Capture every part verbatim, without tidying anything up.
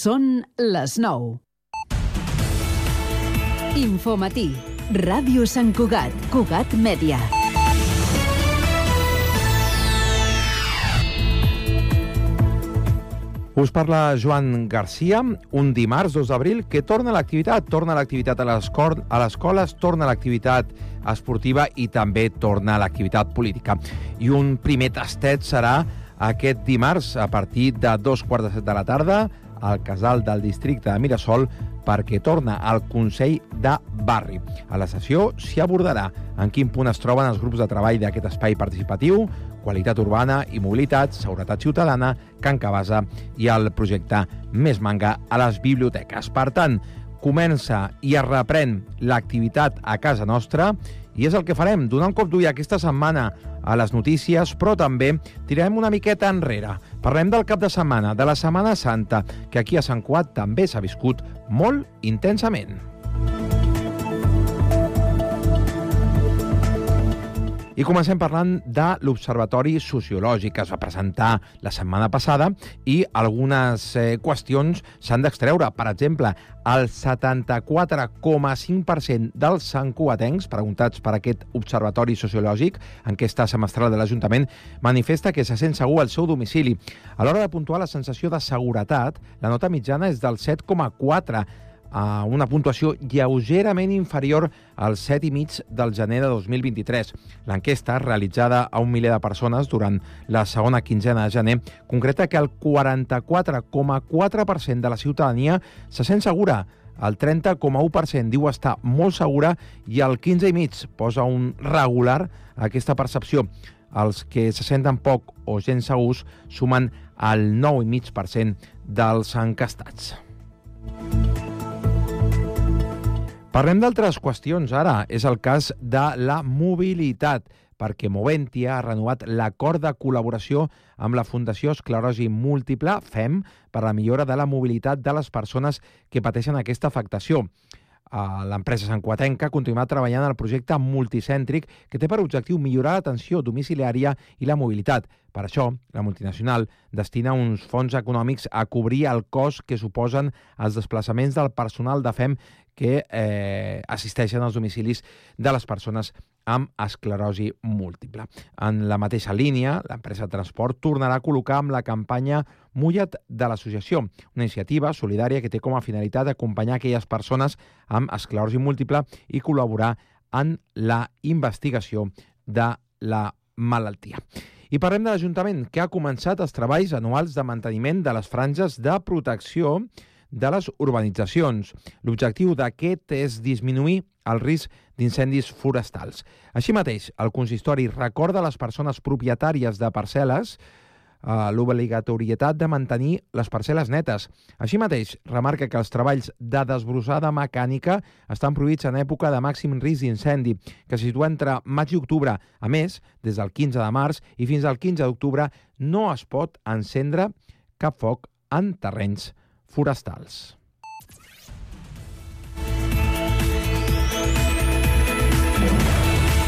Són les nou. Infomatí. Ràdio Sant Cugat. Cugat Mèdia. Us parla Joan Garcia, un dimarts dos d'abril, que torna a l'activitat. Torna a l'activitat a les escoles, torna a l'activitat esportiva i també torna a l'activitat política. I un primer tastet serà aquest dimarts a partir de dos quarts de set de la tarda al casal del districte de Mirasol, perquè torna al Consell de Barri. A la sessió s'hi abordarà en quin punt es troben els grups de treball d'aquest espai participatiu, qualitat urbana i mobilitat, seguretat ciutadana, Can Cabasa i el projecte Més Manga a les biblioteques. Per tant, comença i es reprèn l'activitat a casa nostra i és el que farem, donar un cop d'ull aquesta setmana a les notícies, però també tirarem una miqueta enrere. Parlem del cap de setmana, de la Setmana Santa, que aquí a Sant Cugat també s'ha viscut molt intensament. I comencem parlant de l'Observatori Sociològic que es va presentar la setmana passada i algunes eh, qüestions s'han d'extreure. Per exemple, el setanta-quatre coma cinc per cent dels santcugatencs preguntats per aquest Observatori Sociològic, enquesta semestral de l'Ajuntament, manifesta que se sent segur al seu domicili. A l'hora de puntuar la sensació de seguretat, la nota mitjana és del set coma quatre, a una puntuació lleugerament inferior al set coma cinc del gener de dos mil vint-i-tres. L'enquesta, realitzada a un miler de persones durant la segona quinzena de gener, concreta que el quaranta-quatre coma quatre per cent de la ciutadania se sent segura, el trenta coma u per cent diu estar molt segura i el quinze coma cinc per cent posa un regular a aquesta percepció. Els que se senten poc o gens segurs sumen el nou coma cinc per cent dels encastats. Parlem d'altres qüestions ara. És el cas de la mobilitat, perquè Moventia ha renovat l'acord de col·laboració amb la Fundació Esclerosi Múltiple, F E M, per a la millora de la mobilitat de les persones que pateixen aquesta afectació. L'empresa santcugatenca continuarà treballant en el projecte multicèntric que té per objectiu millorar l'atenció domiciliària i la mobilitat. Per això, la multinacional destina uns fons econòmics a cobrir el cost que suposen els desplaçaments del personal de F E M que eh, assisteixen als domicilis de les persones amb esclerosi múltiple. En la mateixa línia, l'empresa de transport tornarà a col·locar amb la campanya Mulla't de l'associació, una iniciativa solidària que té com a finalitat acompanyar aquelles persones amb esclerosi múltiple i col·laborar en la investigació de la malaltia. I parlem de l'Ajuntament, que ha començat els treballs anuals de manteniment de les franges de protecció de les urbanitzacions. L'objectiu d'aquest és disminuir el risc d'incendis forestals. Així mateix, el consistori recorda a les persones propietàries de parcel·les eh, l'obligatorietat de mantenir les parcel·les netes. Així mateix, remarca que els treballs de desbrossada mecànica estan prohibits en època de màxim risc d'incendi, que se situa entre maig i octubre. A més, des del quinze de març i fins al quinze d'octubre no es pot encendre cap foc en terrenys forestals.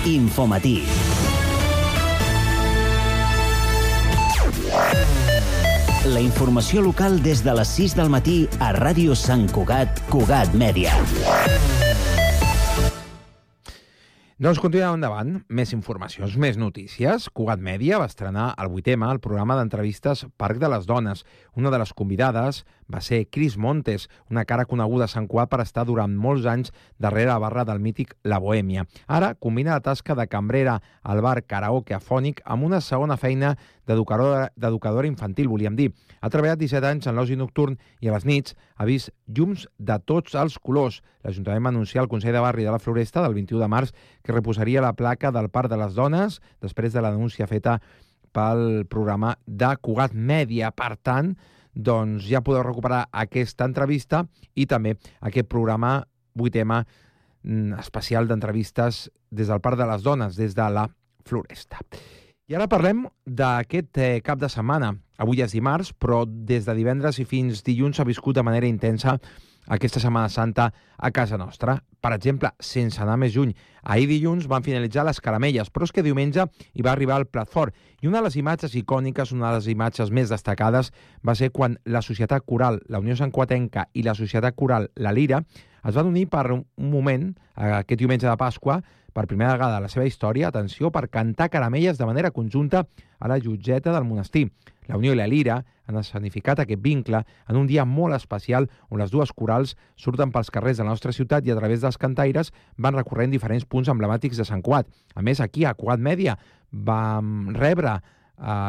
Infomatí. La informació local des de les sis del matí a Ràdio Sant Cugat, Cugat Mèdia. Doncs continuem endavant. Més informacions, més notícies. Cugat Mèdia va estrenar el vuitema el programa d'entrevistes Parc de les Dones. Una de les convidades va ser Cris Montes, una cara coneguda a Sant Cugat per estar durant molts anys darrere la barra del mític La Bohèmia. Ara combina la tasca de cambrera al bar Karaoke Afònic amb una segona feina d'educadora, d'educadora infantil, volíem dir. Ha treballat disset anys en l'oci nocturn i a les nits ha vist llums de tots els colors. L'Ajuntament va anunciar al Consell de Barri de la Floresta del vint-i-u de març que reposaria la placa del Parc de les Dones després de la denúncia feta pel programa de Cugat Mèdia. Per tant, doncs ja podeu recuperar aquesta entrevista i també aquest programa vuitema especial d'entrevistes des del Parc de les Dones, des de la Floresta. I ara parlem d'aquest eh, cap de setmana. Avui és dimarts, però des de divendres i fins dilluns s'ha viscut de manera intensa aquesta Setmana Santa a casa nostra. Per exemple, sense anar més lluny, ahir dilluns van finalitzar les caramelles, però és que diumenge hi va arribar el plat fort. I una de les imatges icòniques, una de les imatges més destacades, va ser quan la Societat Coral, la Unió Santcugatenca i la Societat Coral La Lira es van unir per un moment, aquest diumenge de Pasqua, per primera vegada a la seva història, atenció, per cantar caramelles de manera conjunta a la llotgeta del monestir. La Unió i la Lira han escenificat aquest vincle en un dia molt especial on les dues corals surten pels carrers de la nostra ciutat i a través dels cantaires van recorrent diferents punts emblemàtics de Sant Cugat. A més, aquí a Cugat Mèdia vam rebre eh,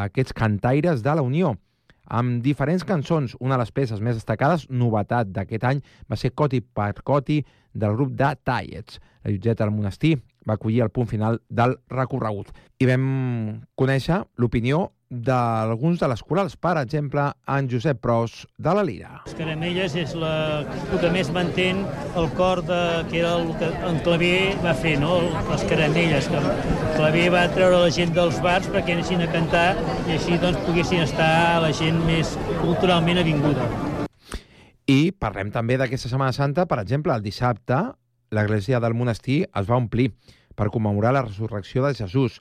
aquests cantaires de la Unió amb diferents cançons. Una de les peces més destacades, novetat d'aquest any, va ser Coti per Coti del grup de Tallets. La llotgeta del monestir va acollir el punt final del recorregut. I vam conèixer l'opinió d'alguns de les corals, per exemple, en Josep Pros de la Lira. Les caramelles és la, el que més mantén el cor de, que era el que en Claver va fer, no? Les caramelles. Que Claver va treure la gent dels bars perquè anessin a cantar i així doncs poguessin estar la gent més culturalment avinguda. I parlem també d'aquesta Setmana Santa. Per exemple, el dissabte l'església del monestir es va omplir per commemorar la resurrecció de Jesús.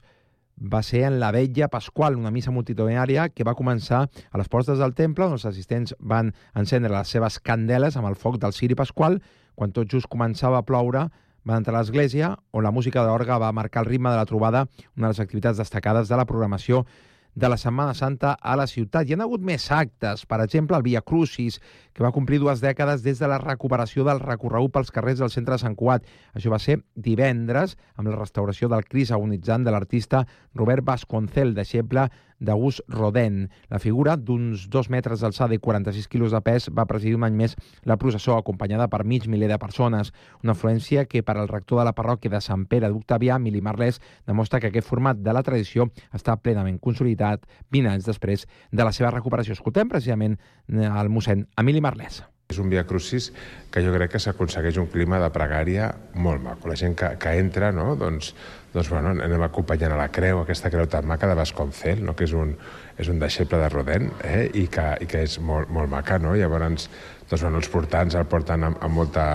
Va ser en la Vetlla Pasqual, una missa multitudinària que va començar a les portes del temple, on els assistents van encendre les seves candeles amb el foc del ciri pasqual. Quan tot just començava a ploure, van entrar a l'església, on la música d'orgue va marcar el ritme de la trobada, una de les activitats destacades de la programació de la Setmana Santa a la ciutat. Hi ha hagut més actes, per exemple, el Via Crucis, que va complir dues dècades des de la recuperació del recorregut pels carrers del centre de Sant Cugat. Això va ser divendres, amb la restauració del Crist agonitzant de l'artista Robert Vasconcel, deixeble d'August Rodin. La figura, d'uns dos metres d'alçada i quaranta-sis quilos de pes, va presidir un any més la processó, acompanyada per mig miler de persones. Una afluència que, per al rector de la parròquia de Sant Pere d'Octavià, Emili Marlès, demostra que aquest format de la tradició està plenament consolidat vint anys després de la seva recuperació. Escoltem precisament el mossèn Emili Marlès. És un Via Crucis que jo crec que s'aconsegueix un clima de pregària molt maco. La gent que, que entra, no? doncs, doncs bueno, anem acompanyant a la creu, aquesta creu tan maca de Vasconcel, no? que és un, és un deixeble de Rodin, eh? I, que, i que és molt, molt maca. No? Llavors, doncs, bueno, els portants el porten amb, amb, molta,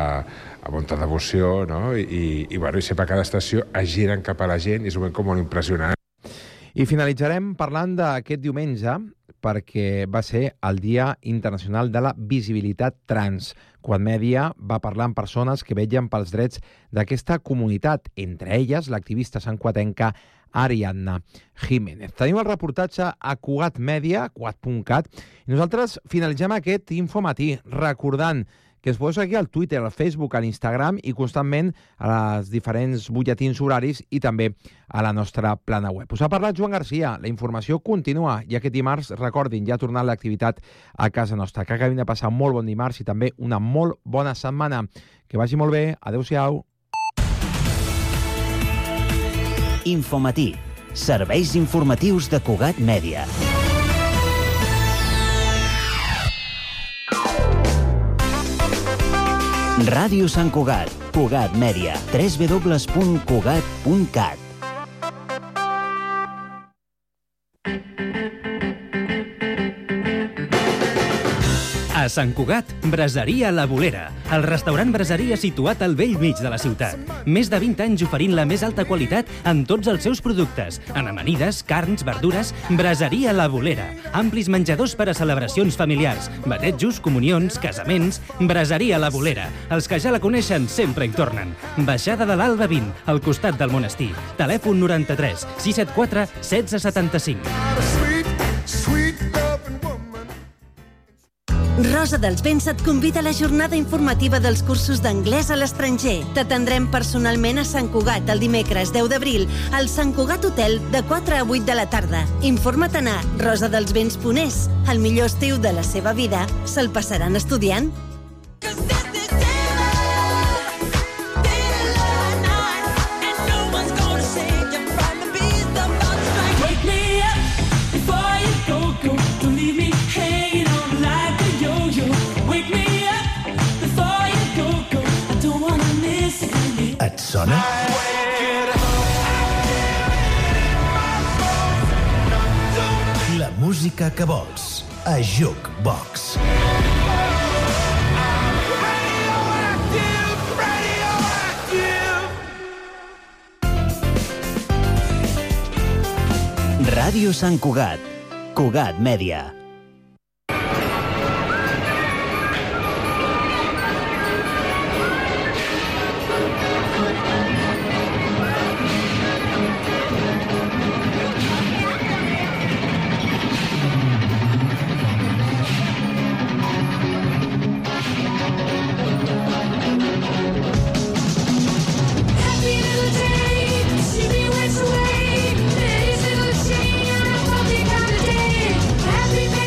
amb molta devoció, no? I, i, i, bueno, i sempre a cada estació es giren cap a la gent i és un moment com molt impressionant. I finalitzarem parlant d'aquest diumenge, perquè va ser el Dia Internacional de la Visibilitat Trans. Cugat Mèdia va parlar amb persones que vetllen pels drets d'aquesta comunitat, entre elles l'activista santcugatenca Ariadna Jiménez. Tenim el reportatge a Cugat Mèdia, cugat punt cat, i nosaltres finalitzem aquest infomatí recordant que es podeu seguir al Twitter, al Facebook, a l'Instagram i constantment a les diferents butlletins horaris i també a la nostra plana web. Us ha parlat Joan Garcia. La informació continua i aquest dimarts, recordin, ja ha tornat l'activitat a casa nostra. Que acabin de passar un molt bon dimarts i també una molt bona setmana. Que vagi molt bé. Adéu-siau. Infomatí. Serveis informatius de Cugat Mèdia. Ràdio Sant Cugat, Cugat Mèdia, w w w punt cugat punt cat. A Sant Cugat, Braseria La Bolera, el restaurant braseria situat al vell mig de la ciutat. Més de vint anys oferint la més alta qualitat en tots els seus productes, en amanides, carns, verdures. Braseria La Bolera, amplis menjadors per a celebracions familiars, batejos, comunions, casaments. Braseria La Bolera, els que ja la coneixen sempre hi tornen. Baixada de l'Alba vint, al costat del monestir. Telèfon noranta-tres sis set quatre setze setanta-cinc. Rosa dels Vents et convida a la jornada informativa dels cursos d'anglès a l'estranger. T'atendrem personalment a Sant Cugat el dimecres deu d'abril al Sant Cugat Hotel de quatre a vuit de la tarda. Informa't a rosadelsvents punt es. El millor estiu de la seva vida se'l passaran estudiant. Et sona? La música que vols a Jukebox. Ràdio Sant Cugat. Cugat Mèdia. Happy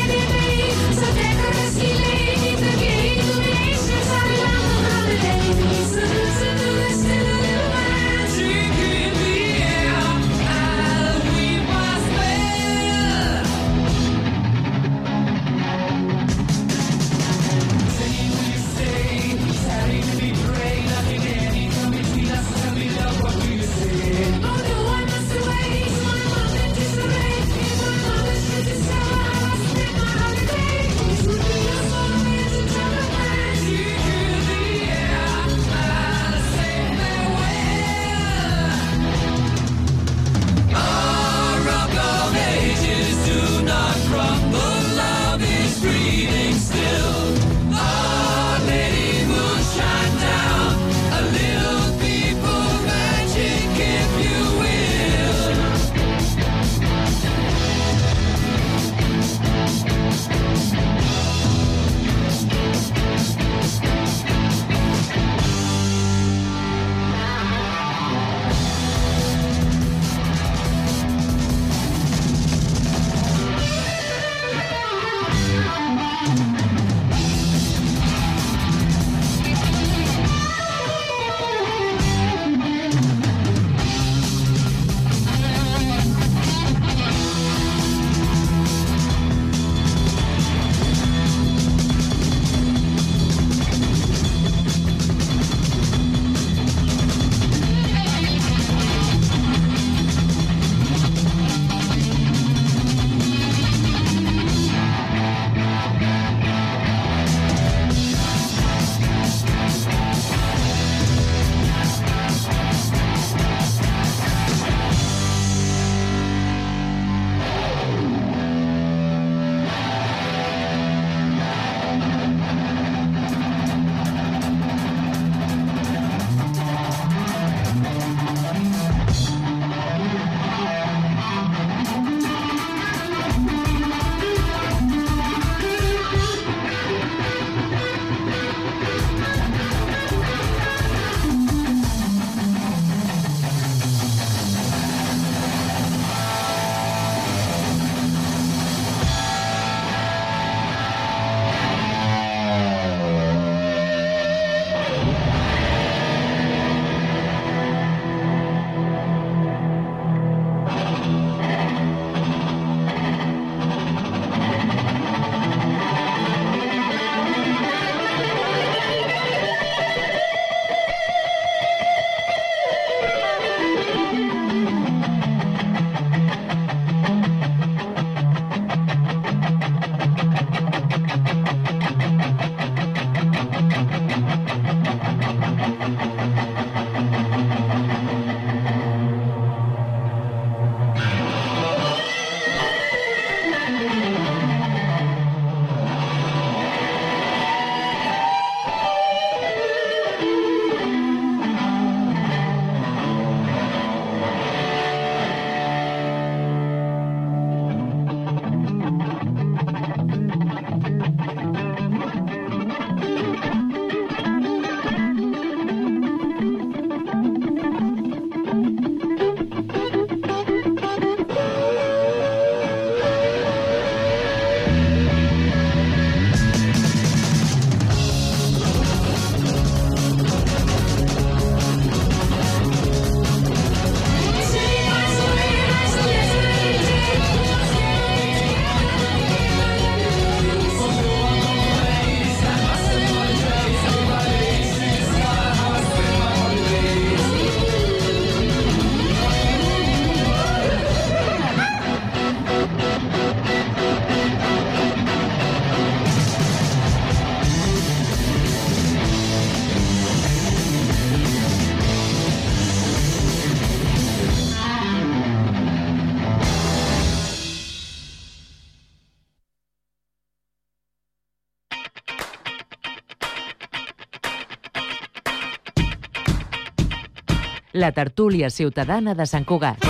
la tertúlia ciutadana de Sant Cugat.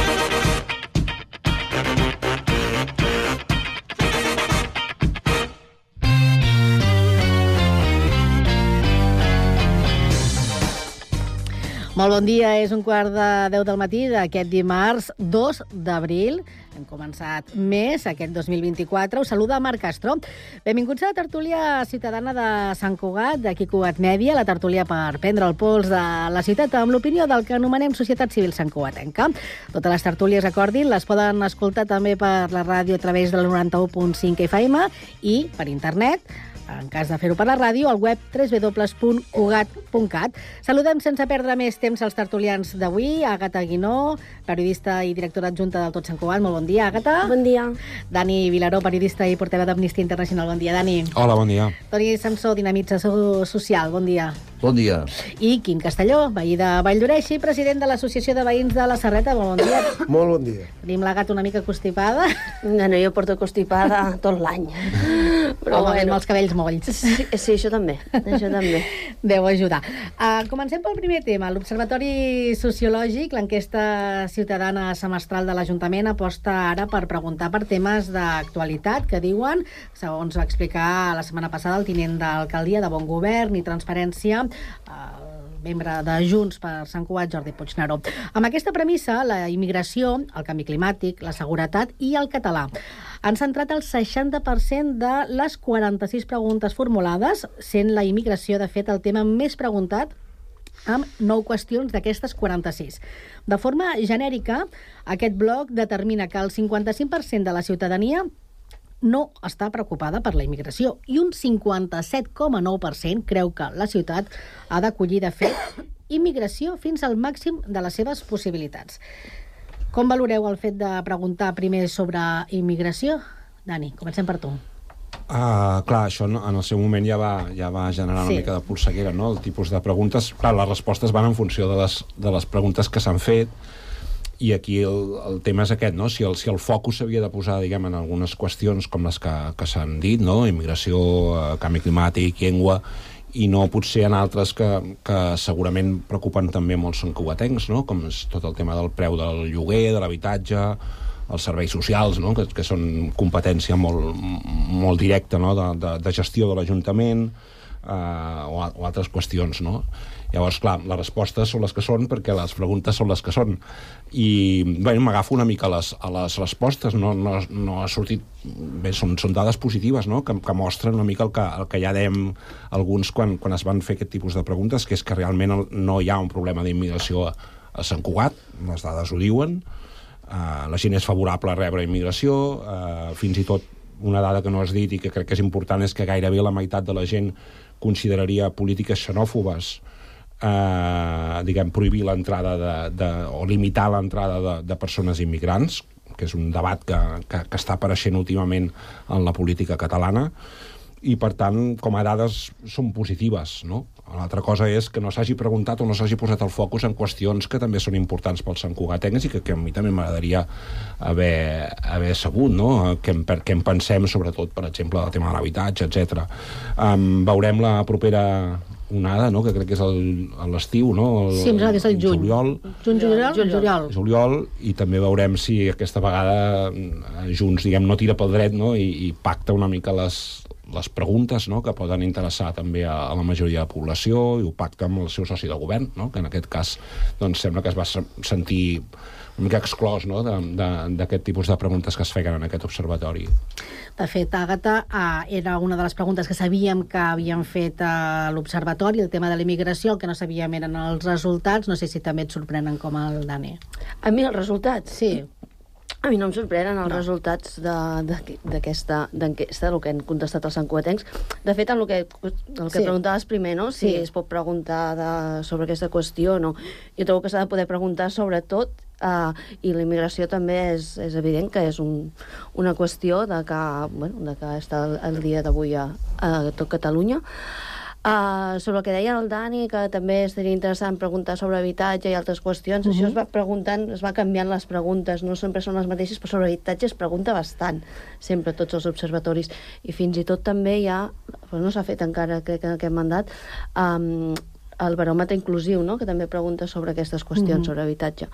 Molt bon dia, és un quart de deu del matí d'aquest dimarts dos d'abril. Hem començat més aquest dos mil vint-i-quatre. Us saluda Marc Castro. Benvinguts a la tertúlia ciutadana de Sant Cugat, d'aquí Cugat Mèdia, la tertúlia per prendre el pols de la ciutat amb l'opinió del que anomenem Societat Civil Santcugatenca. Totes les tertúlies, recordin, les poden escoltar també per la ràdio a través del noranta-u punt cinc F M i per internet, en cas de fer-ho per la ràdio, al web w w w punt cugat punt cat. Saludem sense perdre més temps als tertulians d'avui. Àgata Guinó, periodista i directora adjunta del Tot Sant Cugat. Molt bon dia, Àgata. Bon dia. Dani Vilaró, periodista i portaveu d'Amnistia Internacional. Bon dia, Dani. Hola, bon dia. Toni Samsó, dinamització social. Bon dia. Bon dia. I Quim Castelló, veí de Valldoreix i president de l'Associació de Veïns de la Serreta. Molt bon dia. Molt bon dia. Tenim la gata una mica constipada. No, no, jo porto constipada tot l'any. Però Home, bueno, amb els cabells molls. Sí, sí, això també. Això també. Deu ajudar. Uh, comencem pel primer tema. L'Observatori Sociològic, l'enquesta ciutadana semestral de l'Ajuntament, aposta ara per preguntar per temes d'actualitat que diuen, segons va explicar la setmana passada el tinent d'alcaldia de Bon Govern i Transparència, el membre de Junts per Sant Cugat, Jordi Puigneró. Amb aquesta premissa, la immigració, el canvi climàtic, la seguretat i el català han centrat el seixanta per cent de les quaranta-sis preguntes formulades, sent la immigració, de fet, el tema més preguntat, amb nou qüestions d'aquestes quaranta-sis. De forma genèrica, aquest bloc determina que el cinquanta-cinc per cent de la ciutadania no està preocupada per la immigració i un cinquanta-set coma nou per cent creu que la ciutat ha d'acollir, de fet, immigració fins al màxim de les seves possibilitats. Com valoreu el fet de preguntar primer sobre immigració? Dani, comencem per tu. Uh, clar, això en el seu moment ja va, ja va generar una sí. mica de polseguera, no? El tipus de preguntes. Clar, les respostes van en funció de les, de les preguntes que s'han fet, i aquí el, el tema és aquest, no? Si el, si el focus s'havia de posar, diguem, en algunes qüestions com les que, que s'han dit, no? Immigració, eh, canvi climàtic, llengua, i no potser en altres que, que segurament preocupen també molts santcugatencs, no? Com és tot el tema del preu del lloguer, de l'habitatge, els serveis socials, no? que, que són competència molt, molt directa, no? de, de, de gestió de l'Ajuntament, eh, o, o altres qüestions, no? Llavors, clar, les respostes són les que són perquè les preguntes són les que són. I, bé, m'agafo una mica a les, a les respostes. No, no, no ha sortit... Bé, són, són dades positives, no?, que, que mostren una mica el que, el que ja dèiem alguns quan, quan es van fer aquest tipus de preguntes, que és que realment no hi ha un problema d'immigració a, a Sant Cugat, les dades ho diuen, uh, la gent és favorable a rebre immigració, uh, fins i tot una dada que no has dit i que crec que és important és que gairebé la meitat de la gent consideraria polítiques xenòfobes, Eh, diguem, prohibir l'entrada de, de, o limitar l'entrada de, de persones immigrants, que és un debat que, que, que està apareixent últimament en la política catalana, i per tant, com a dades són positives, no? L'altra cosa és que no s'hagi preguntat o no s'hagi posat el focus en qüestions que també són importants pels santcugatencs i que, que a mi també m'agradaria haver, haver sabut, no? Què en, què en pensem, sobretot, per exemple, el tema de l'habitatge, etcètera. Um, veurem la propera onada, no?, que crec que és el, l'estiu, no? El, sí, em sembla que és el juny. Juliol. Juny, juliol, juliol. Juliol, i també veurem si aquesta vegada Junts, diguem, no tira pel dret, no?, i, i pacta una mica les, les preguntes, no?, que poden interessar també a, a la majoria de la població, i ho pacta amb el seu soci de govern, no?, que en aquest cas doncs, sembla que es va sentir una mica exclòs, no?, d'aquest tipus de preguntes que es feien en aquest observatori. De fet, Àgata, eh, era una de les preguntes que sabíem que havien fet a l'Observatori, el tema de la immigració. El que no sabíem eren els resultats. No sé si també et sorprenen com el Dani. A mi els resultats? Sí. A mi no em sorprenen els no. resultats d'aquesta enquesta, del que han contestat els santcugatencs. De fet, el que, el que sí. preguntaves primer, no? Si sí. es pot preguntar de, sobre aquesta qüestió o no. Jo trobo que s'ha de poder preguntar sobre tot, uh, i la immigració també és, és evident que és un, una qüestió de que, bueno, de que està el, el dia d'avui a, a tot Catalunya. Uh, sobre el que deia el Dani, que també seria interessant preguntar sobre habitatge i altres qüestions, uh -huh. això es va preguntant, es va canviant les preguntes, no sempre són les mateixes, però sobre habitatge es pregunta bastant, sempre, tots els observatoris, i fins i tot també hi ha, però no s'ha fet encara, crec, en aquest mandat, um, el baròmetre inclusiu, no?, que també pregunta sobre aquestes qüestions, mm-hmm. sobre habitatge.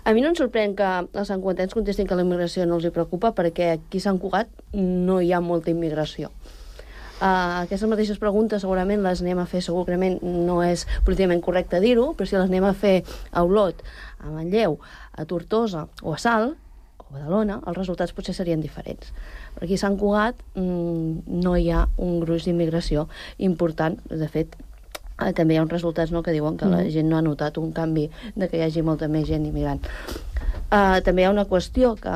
A mi no em sorprèn que els santcugatens contestin que la immigració no els hi preocupa, perquè aquí a Sant Cugat no hi ha molta immigració. Uh, aquestes mateixes preguntes segurament les anem a fer, segurament no és políticament correcte dir-ho, però si les anem a fer a Olot, a Manlleu, a Tortosa o a Salt, o a Badalona, els resultats potser serien diferents. Però aquí a Sant Cugat mmm, no hi ha un gruix d'immigració important. De fet, eh, també hi ha uns resultats, no?, que diuen que la gent no ha notat un canvi de que hi hagi molta més gent immigrant. Uh, també hi ha una qüestió que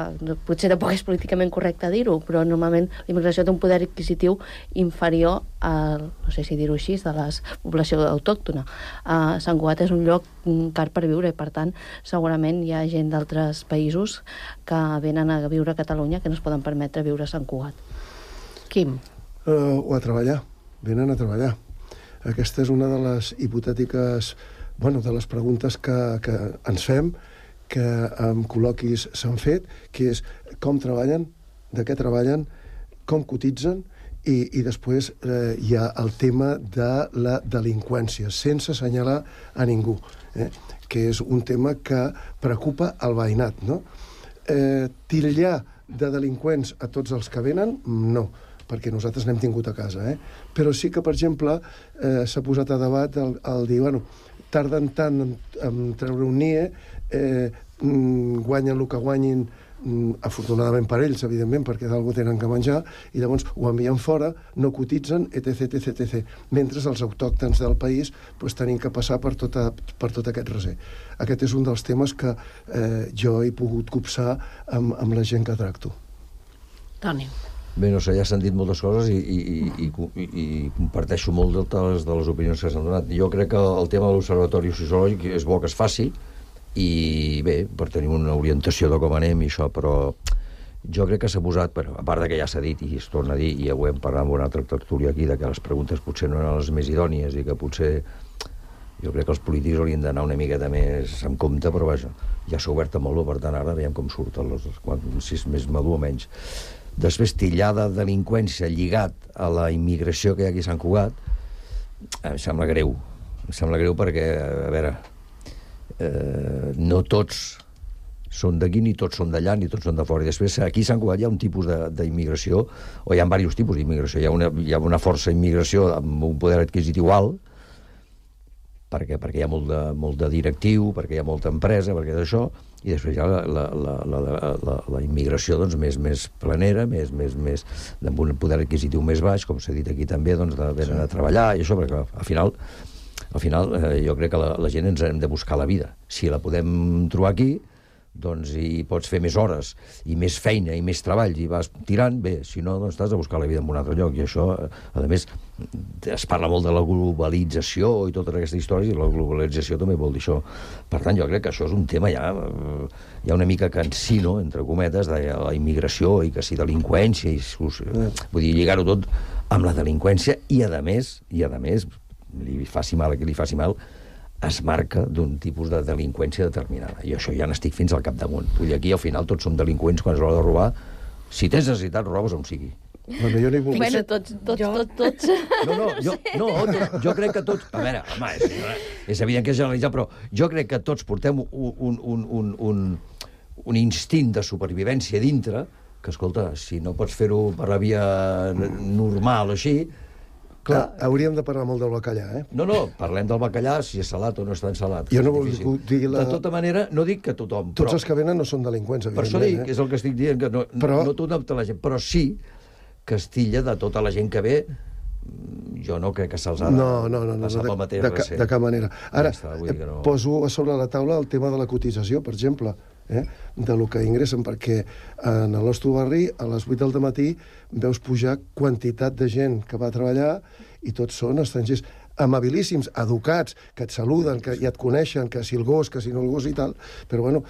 potser tampoc és políticament correcte dir-ho, però normalment la immigració té un poder adquisitiu inferior al, no sé si dir-ho així, de la població autòctona. Uh, Sant Cugat és un lloc car per viure i, per tant, segurament hi ha gent d'altres països que venen a viure a Catalunya que no es poden permetre viure a Sant Cugat. Quim? Uh, o a treballar. Venen a treballar. Aquesta és una de les hipotètiques, bueno, de les preguntes que, que ens fem, que en col·loquis s'han fet, que és com treballen, de què treballen, com cotitzen, i, i després eh, hi ha el tema de la delinqüència, sense assenyalar a ningú, eh? que és un tema que preocupa el veïnat, no? Eh, titllar de delinqüents a tots els que venen, no, perquè nosaltres n'hem tingut a casa, eh? Però sí que, per exemple, eh, s'ha posat a debat el, el dir, bueno, tarden tant en, en treure un N I E, eh, guanyen el que guanyin, afortunadament per ells, evidentment, perquè d'algú tenen que menjar, i llavors ho envien fora, no cotitzen, etc, etc, etc. Mentre els autòctons del país pues, tenim que passar per, tota, per tot aquest recer. Aquest és un dels temes que eh, jo he pogut copsar amb, amb la gent que tracto. Toni. Bé, no sé, ja s'han dit moltes coses i, i, i, i, i comparteixo molt de les, de les opinions que s'han donat. Jo crec que el tema de l'observatori sociològic és bo que es faci, i bé, per tenir una orientació de com anem i això, però jo crec que s'ha posat, però, a part de que ja s'ha dit i es torna a dir, i ja ho hem parlat amb una altra tertúlia aquí, de que les preguntes potser no eren les més idònies i que potser jo crec que els polítics haurien d'anar una miqueta més en compte, però vaja, ja s'ha obert molt, per tant ara veiem com surten els, si és més madur o menys. Després, tillar de delinqüència lligat a la immigració que hi ha aquí a Sant Cugat, em sembla greu. Em sembla greu perquè, a veure, eh, no tots són d'aquí, ni tots són d'allà, ni tots són de fora. I després, aquí a Sant Cugat hi ha un tipus d'immigració, o hi ha diversos tipus d'immigració. Hi ha una, hi ha una força immigració amb un poder adquisitiu alt, perquè, perquè hi ha molt de, molt de directiu, perquè hi ha molta empresa, perquè d'això, i després hi ha la, la, la, la, la, la immigració doncs, més, més planera, més, més, més, amb un poder adquisitiu més baix, com s'ha dit aquí també, doncs, de venen a treballar, i això, perquè al final, al final eh, jo crec que la, la gent ens hem de buscar la vida. Si la podem trobar aquí, doncs hi pots fer més hores, i més feina, i més treball, i vas tirant, bé, si no, doncs t'has de buscar la vida en un altre lloc, i això, a més, es parla molt de la globalització i totes aquestes històries, i la globalització també vol dir això. Per tant, jo crec que això és un tema ja, ja una mica cansino, entre cometes, de la immigració, i que si delinqüència, i, vull dir, lligar-ho tot amb la delinqüència, i a més, i a més, li faci mal a qui li faci mal, es marca d'un tipus de delinqüència determinada. I això ja n'estic fins al capdamunt. Vull dir, aquí al final tots som delinqüents quan és l'hora de robar. Si tens necessitat, robes on sigui. Bueno, jo n'hi vull... Bueno, tots, tots, jo... tots, tots. No, no, jo, no, tot, jo crec que tots... A veure, home, és, és evident que és generalitzat, però jo crec que tots portem un, un, un, un, un, un instint de supervivència dintre, que, escolta, si no pots fer-ho per la via normal o així... Clar, hauríem de parlar molt del bacallà, eh? No, no, parlem del bacallà, si és salat o no és tan salat. Jo no vull dir la... De tota manera, no dic que tothom... Tots però... els que venen no són delinqüents, evidentment. Per això dic, eh? és el que estic dient, que no, però... no tothom té la gent, però sí que es tilla de tota la gent que ve, jo no crec que se'ls ha de no, no, no, no, passar de, pel mateix de, de, de cap manera. Ara, ja està, no... poso a sobre la taula el tema de la cotització, per exemple, eh? de lo que ingressen, perquè en el nostre barri, a les vuit del matí, veus pujar quantitat de gent que va a treballar i tots són estrangers amabilíssims, educats, que et saluden, que ja et coneixen, que si el gos, que si no el gos i tal, però bueno,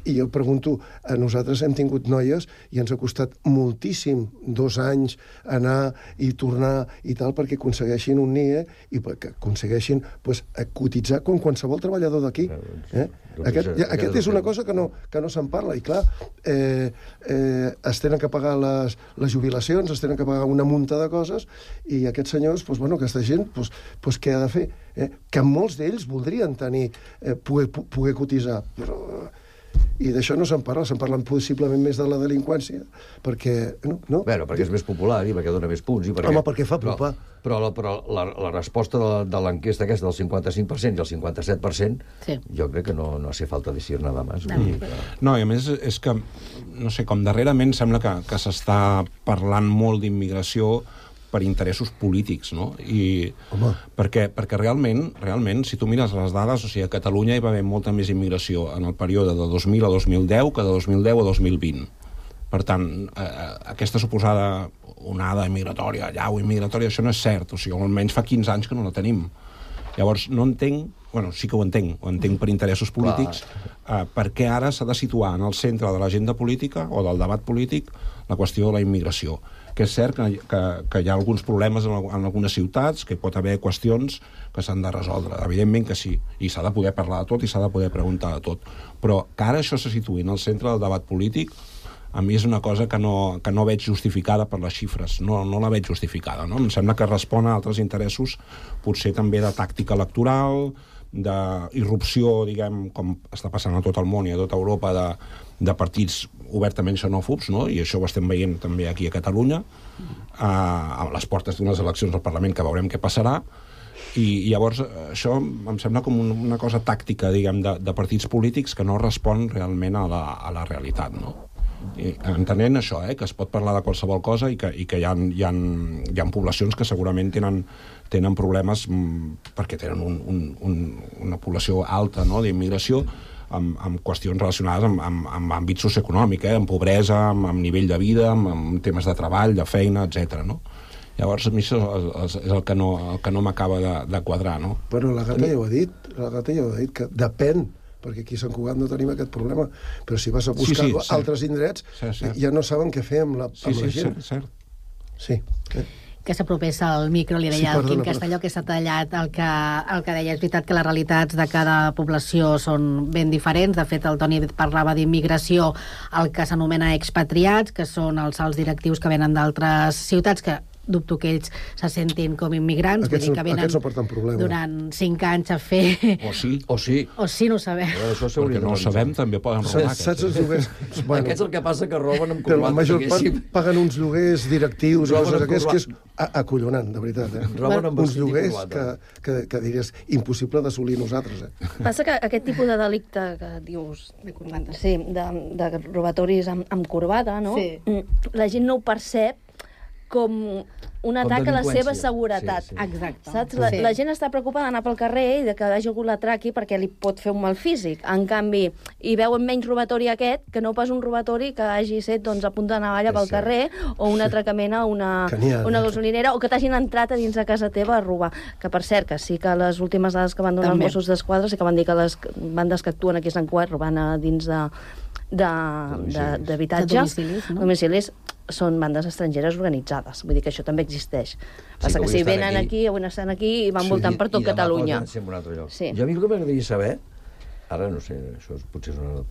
I jo pregunto, a nosaltres hem tingut noies i ens ha costat moltíssim, dos anys, anar i tornar i tal, perquè aconsegueixin un N I E i perquè aconsegueixin pues, cotitzar com qualsevol treballador d'aquí. Eh? Aquest, ja, aquest és una cosa que no, que no se'n parla. I clar, eh, eh, es tenen que pagar les, les jubilacions, es tenen que pagar una munta de coses, i aquests senyors, pues, bueno, aquesta gent, pues, pues, què ha de fer? Eh? Que molts d'ells voldrien tenir, eh, poder, poder cotitzar, però... I d'això no se'n parla, se'n parla possiblement més de la delinqüència, perquè... No, no? Bueno, perquè és més popular i perquè dona més punts. I perquè... Home, perquè fa pupar. Però, però, la, però la, la resposta de, de l'enquesta aquesta del cinquanta-cinc per cent i el cinquanta-set per cent, sí. Jo crec que no, no hace falta decir nada más. No. Mm. No, i a més és que, no sé, com darrerament sembla que, que s'està parlant molt d'immigració per interessos polítics, no? I perquè, perquè realment, realment, si tu mires les dades, o sigui, a Catalunya hi va haver molta més immigració en el període de dos mil a dos mil deu que de dos mil deu a dos mil vint. Per tant, eh, aquesta suposada onada immigratòria, llau immigratòria, això no és cert, o sigui, almenys fa quinze anys que no la tenim. Llavors, no entenc, bueno, sí que ho entenc, ho entenc per interessos polítics, eh, perquè ara s'ha de situar en el centre de l'agenda política o del debat polític la qüestió de la immigració. Que és cert que, que, que hi ha alguns problemes en, en algunes ciutats, que pot haver qüestions que s'han de resoldre. Evidentment que sí, i s'ha de poder parlar de tot i s'ha de poder preguntar de tot. Però que ara això se situï en el centre del debat polític, a mi és una cosa que no, que no veig justificada per les xifres. No, no la veig justificada, no? Em sembla que respon a altres interessos, potser també de tàctica electoral, d'irrupció, diguem, com està passant a tot el món i a tota Europa, de, de partits obertament xenòfobs, no? I això ho estem veient també aquí a Catalunya, a, a les portes d'unes eleccions al Parlament que veurem què passarà, i, i llavors això em sembla com un, una cosa tàctica, diguem, de, de partits polítics que no respon realment a la, a la realitat, no? I, entenent això, eh, que es pot parlar de qualsevol cosa i que, i que hi ha, hi ha, hi ha poblacions que segurament tenen, tenen problemes m, perquè tenen un, un, un, una població alta, no?, d'immigració, amb, amb qüestions relacionades amb, amb, amb àmbit socioeconòmic, eh, amb pobresa, amb, amb nivell de vida, amb, amb temes de treball, de feina, etcètera, no? Llavors, a mi això és, és el que no, el que no m'acaba de, de quadrar, no? Bueno, la Gata ja ho ha dit, la Gata ja ho ha dit, que depèn, perquè aquí a Sant Cugat no tenim aquest problema, però si vas a buscar sí, sí, altres indrets, sí, sí. Ja no saben què fer amb la, amb sí, sí, la gent. Sí, cert. Sí. Eh? Que s'apropés al micro, li deia sí, perdona, el Quim Castelló, que s'ha tallat el que, el que deia. És veritat que les realitats de cada població són ben diferents. De fet, el Toni parlava d'immigració, el que s'anomena expatriats, que són els alts directius que venen d'altres ciutats, que dubto que ells se sentin com immigrants, aquests, vull dir que venen no porten problema. Durant cinc anys a fer... O sí. O sí. O sí, no ho sabem. Això perquè no ho sabem, també poden robar. Saps els lloguers? Bueno, aquests el que passa que roben amb però la major part paguen uns lloguers directius, i coses aquests, que és acollonant, de veritat. Eh? Roben amb uns lloguers que, que, que diries impossible d'assolir nosaltres. Eh? Passa que aquest tipus de delicte que dius, de corbata, sí, de, de robatoris amb, amb corbata, no? Sí. La gent no ho percep com un atac a la seva seguretat. Sí, sí. Exacte. Saps? La, sí. la gent està preocupada d'anar pel carrer i de que hagi algú l'atraqui perquè li pot fer un mal físic. En canvi, hi veuen menys robatori aquest que no pas un robatori que hagi set doncs, a punta de navalla pel carrer o un atracament a una, una gasolinera o que t'hagin entrat a dins de casa teva a robar. Que, per cert, que sí que les últimes dades que van donar També. els Mossos d'Esquadra sí que van dir que les bandes que actuen aquí a Sant Cugat robant a dins de d'habitatge, de, domicilis, no? domicilis, són bandes estrangeres organitzades. Vull dir que això també existeix. Passa sí, que, que si venen aquí, avui estan aquí i van sí, voltant per tot i Catalunya. I demà poden sí. Jo a mi el que m'agradaria saber, ara no sé, això potser és una,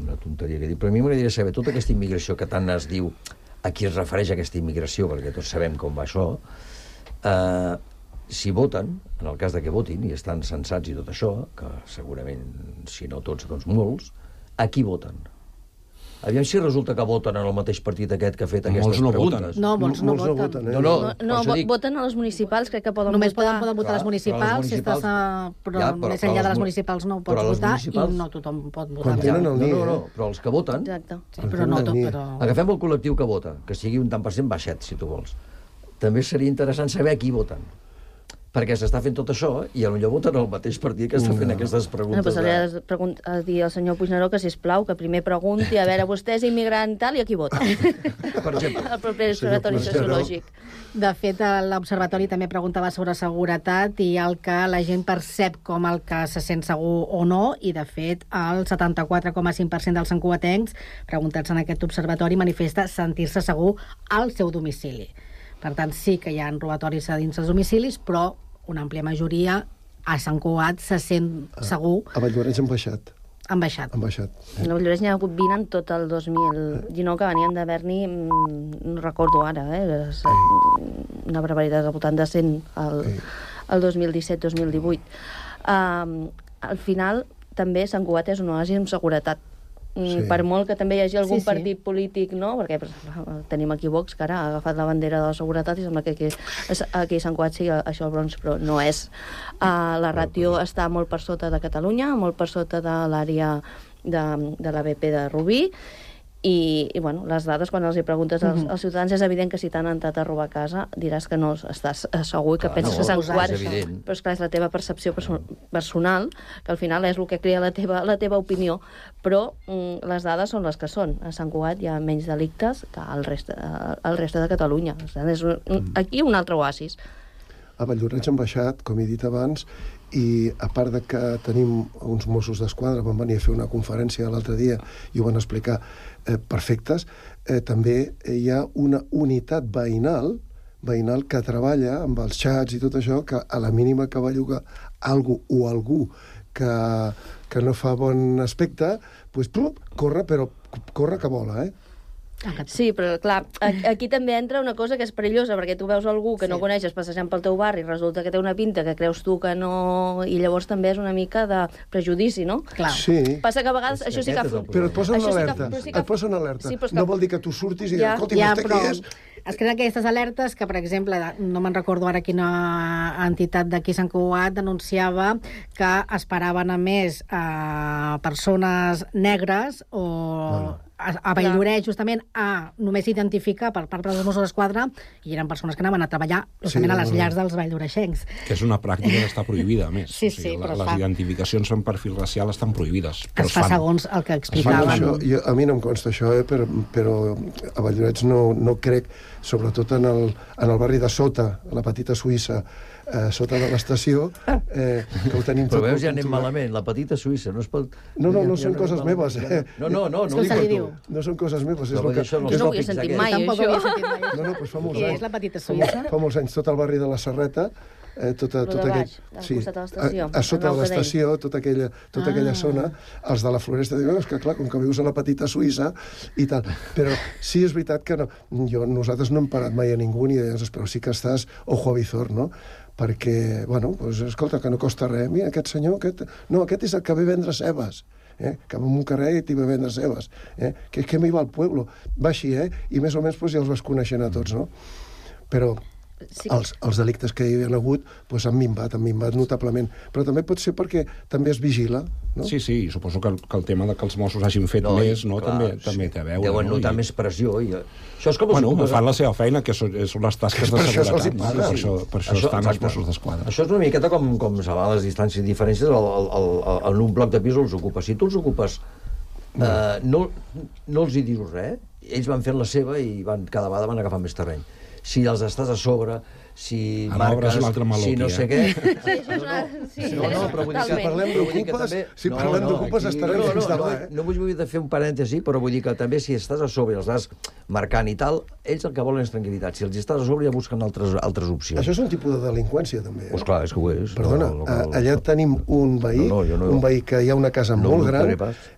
una tonteria que dic, però a mi m'agradaria saber tota aquesta immigració que tant es diu, a qui es refereix aquesta immigració, perquè tots sabem com va això, eh, si voten, en el cas de que votin, i estan censats i tot això, que segurament, si no tots, doncs molts, a qui voten? Aviam si resulta que voten en el mateix partit aquest que ha fet aquestes molts no preguntes. No, molts no, molts no voten. Eh? No, no, no, no vo voten a les municipals, crec que poden Només votar. Només poden, poden votar clar, les municipals, si estàs a... però, ja, però més enllà de les municipals no ho pots votar i no tothom pot votar. Quan tenen el no, no, no, però els que voten... Exacte. Sí, però no tot, però... Agafem el col·lectiu que vota, que sigui un tant per cent baixet, si tu vols. També seria interessant saber a qui voten. perquè s'està fent tot això i potser voten el mateix partit que està fent no. aquestes preguntes. No, doncs li has de dir al senyor Puigneró que, sisplau, que primer pregunti a veure, vostè és immigrant tal i a qui vota. Per exemple. El proper observatori sociològic. De fet, l'observatori també preguntava sobre seguretat i el que la gent percep com el que se sent segur o no, i de fet el setanta-quatre coma cinc per cent dels santcugatencs preguntats en aquest observatori manifesta sentir-se segur al seu domicili. Per tant, sí que hi ha robatoris a dins dels domicilis, però una àmplia majoria a Sant Cugat se sent segur. A Valldoreix han baixat. Han baixat. Han baixat. A Valldoreix n'hi ha hagut vint en tot el dos mil dinou, que venien d'haver-n'hi, no recordo ara, eh? una barbaritat al voltant de cent el dos mil disset dos mil divuit. Uh, al final, també Sant Cugat és un oasi amb seguretat. Sí. Per molt que també hi hagi algun sí, sí. partit polític, no? Perquè pues, tenim aquí Vox, que ara ha agafat la bandera de la seguretat i sembla que aquí, aquí a Sant Cugat sigui això el bronze, però no és. Uh, la ràtio està molt per sota de Catalunya, molt per sota de l'àrea de, de l'A B P de Rubí, i, i bueno, les dades, quan els hi preguntes als, als ciutadans, és evident que si t'han entrat a robar a casa diràs que no estàs segur i que clar, penses no, que Sant Cugat, però és clar, és la teva percepció perso personal, que al final és el que crea la teva, la teva opinió, però mm, les dades són les que són. A Sant Cugat hi ha menys delictes que al reste, al reste de Catalunya. O sigui, és un, aquí un altre oasis. A Valldoreix han baixat, com he dit abans, i a part de que tenim uns Mossos d'Esquadra, van venir a fer una conferència l'altre dia i ho van explicar eh, perfectes, eh, també hi ha una unitat veïnal, veïnal que treballa amb els xats i tot això, que a la mínima que va llogar algú o algú que, que no fa bon aspecte, doncs, plup, corre, però corre que vola, eh? Sí, però clar, aquí també entra una cosa que és perillosa, perquè tu veus algú que sí. no coneixes passejant pel teu barri i resulta que té una pinta que creus tu que no... I llavors també és una mica de prejudici, no? Clar. Sí. Passa que a vegades això sí que... Però et posen alerta, sí que... et posen alerta. Sí, que... No vol dir que tu surtis i ja, escolti, ja, vostè però... qui és? Es creen aquestes alertes que, per exemple, no me'n recordo ara quina entitat d'aquí Sant Cugat denunciava que esperaven a més a persones negres o bueno. a, a Valldoreix, justament, a només identificar per part dels Mossos d'Esquadra, i eren persones que anaven a treballar justament sí, a les llars dels valldoreixencs. Que és una pràctica que està prohibida, a més. Sí, sí, o sigui, però les fa... identificacions en perfil racial estan prohibides. Però es fa fan. Segons el que explicaven. Això, jo, a mi no em consta això, eh, però, però a Valldoreix no, no crec, sobretot en el, en el barri de Sota, la petita Suïssa, eh, sota de l'estació, eh, que ho tenim tot... Però veus, ja anem malament, la petita Suïssa, no es pot... No, no, no són coses meves, eh? No, no, no, no ho dic per tu. No són coses meves, és el que... No ho havia sentit mai, això. No, no, doncs fa molts anys. Què és la petita Suïssa? Fa molts anys, tot el barri de la Serreta, eh, tota, tota aquell, sí, costat de l'estació. A, a sota de l'estació, tota aquella, tota ah. aquella zona, els de la Floresta diuen, és que clar, com que vius a la petita Suïssa i tal. Però sí és veritat que no, jo, nosaltres no hem parat mai a ningú ni deies, però sí que estàs ojo a visor, no? Perquè, bueno, doncs, escolta, que no costa res. Mira, aquest senyor, aquest... No, aquest és el que ve a vendre cebes. Eh? Que va en un carrer i t'hi va a vendre cebes. Eh? Que, que me iba al pueblo. Va així, eh? I més o menys pues, ja els vas coneixent a tots, no? Però sí. els, els delictes que hi havia hagut pues, han minvat, han minvat notablement. Però també pot ser perquè també es vigila, no? Sí, sí, suposo que el, que el tema de que els Mossos hagin fet no, més, no, clar, també, sí. també té a veure. Deuen no? notar I... més pressió. I... Això és com bueno, els... fan la seva feina, que són, són les tasques de seguretat. Per això, per això, per això, això estan exacte. Els Mossos d'Esquadra. Això és una miqueta com, com salvar les distàncies i diferències el, el, el, el, en un bloc de pis els ocupes. Si tu els ocupes, no, eh, no, no els hi dius res, ells van fent la seva i van, cada vegada van agafar més terreny. Si els estàs a sobre, si ara marques, si no sé què... Sí, això és una... Sí, no, no, però vull dir que... Si parlem d'ocupes, si no, parlem no, d'ocupes aquí... estarem no, no, fins no, demà, no, eh? no vull, vull fer un parèntesi, però vull dir que també si estàs a sobre i els vas marcant i tal, ells el que volen és tranquil·litat. Si els estàs a sobre ja busquen altres, altres opcions. Això és un tipus de delinqüència, també. Eh? Pues clar, és que ho és. Perdona, no, no, no, allà tenim un veí, no, no, no, un veí que hi ha una casa no, molt no gran,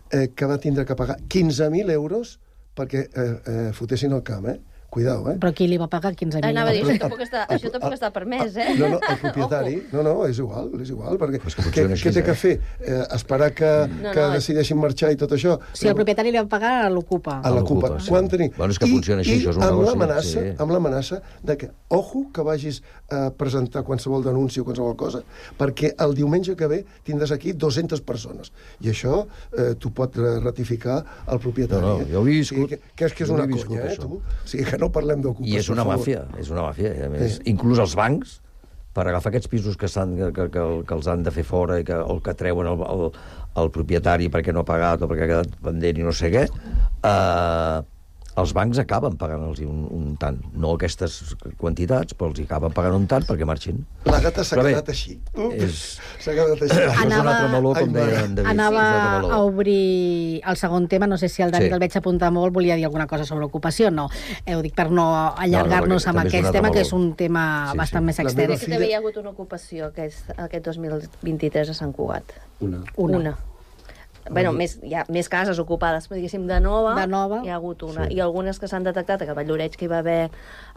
eh, que va tindre que pagar quinze mil euros perquè eh, eh, fotessin el camp, eh? Cuidao, eh? Però qui li va pagar quinze mil? Anava a dir, això tampoc està, això tampoc està permès, eh? No, no, el propietari... No, no, és igual, és igual, perquè pues què, què té que fer? Eh, esperar que, no, que no, decideixin marxar i tot això? Si el propietari li va pagar, a l'ocupa. A l'ocupa. Sí. Quan tenim... Bueno, és que funciona així, I, això és un amb negoci. l'amenaça, Sí. amb l'amenaça de que, ojo, que vagis a presentar qualsevol denúncia o qualsevol cosa, perquè el diumenge que ve tindràs aquí dues-centes persones. I això eh, t'ho pot ratificar el propietari. No, no, jo ho he viscut. Sí, que, que és que és una conya, eh, tu? O sigui, que no parlem d'ocupació. I és una màfia, és una màfia. A més, sí. Inclús els bancs per agafar aquests pisos que, que, que, que els han de fer fora i que, el que treuen el, el, el propietari perquè no ha pagat o perquè ha quedat pendent i no sé què, eh, els bancs acaben pagant-los un, un tant. No aquestes quantitats, però els acaben pagant un tant perquè marxin. La gata s'ha quedat així. És... S'ha quedat així. Anava... És un altre meló, com deia en David. Anava a obrir el segon tema. No sé si el Dani, sí, que el veig apuntar molt, volia dir alguna cosa sobre ocupació. No, eh, ho dic per no allargar-nos no, no, amb aquest tema, meló, que és un tema sí, bastant sí. més extern. Sí, també hi ha hagut una ocupació aquest, aquest dos mil vint-i-tres a Sant Cugat. Una. Una. una. Bueno, més, hi ha més cases ocupades, però diguéssim, de nova, de nova. Hi ha hagut una. Sí. I algunes que s'han detectat, que a Valloreig, que hi va haver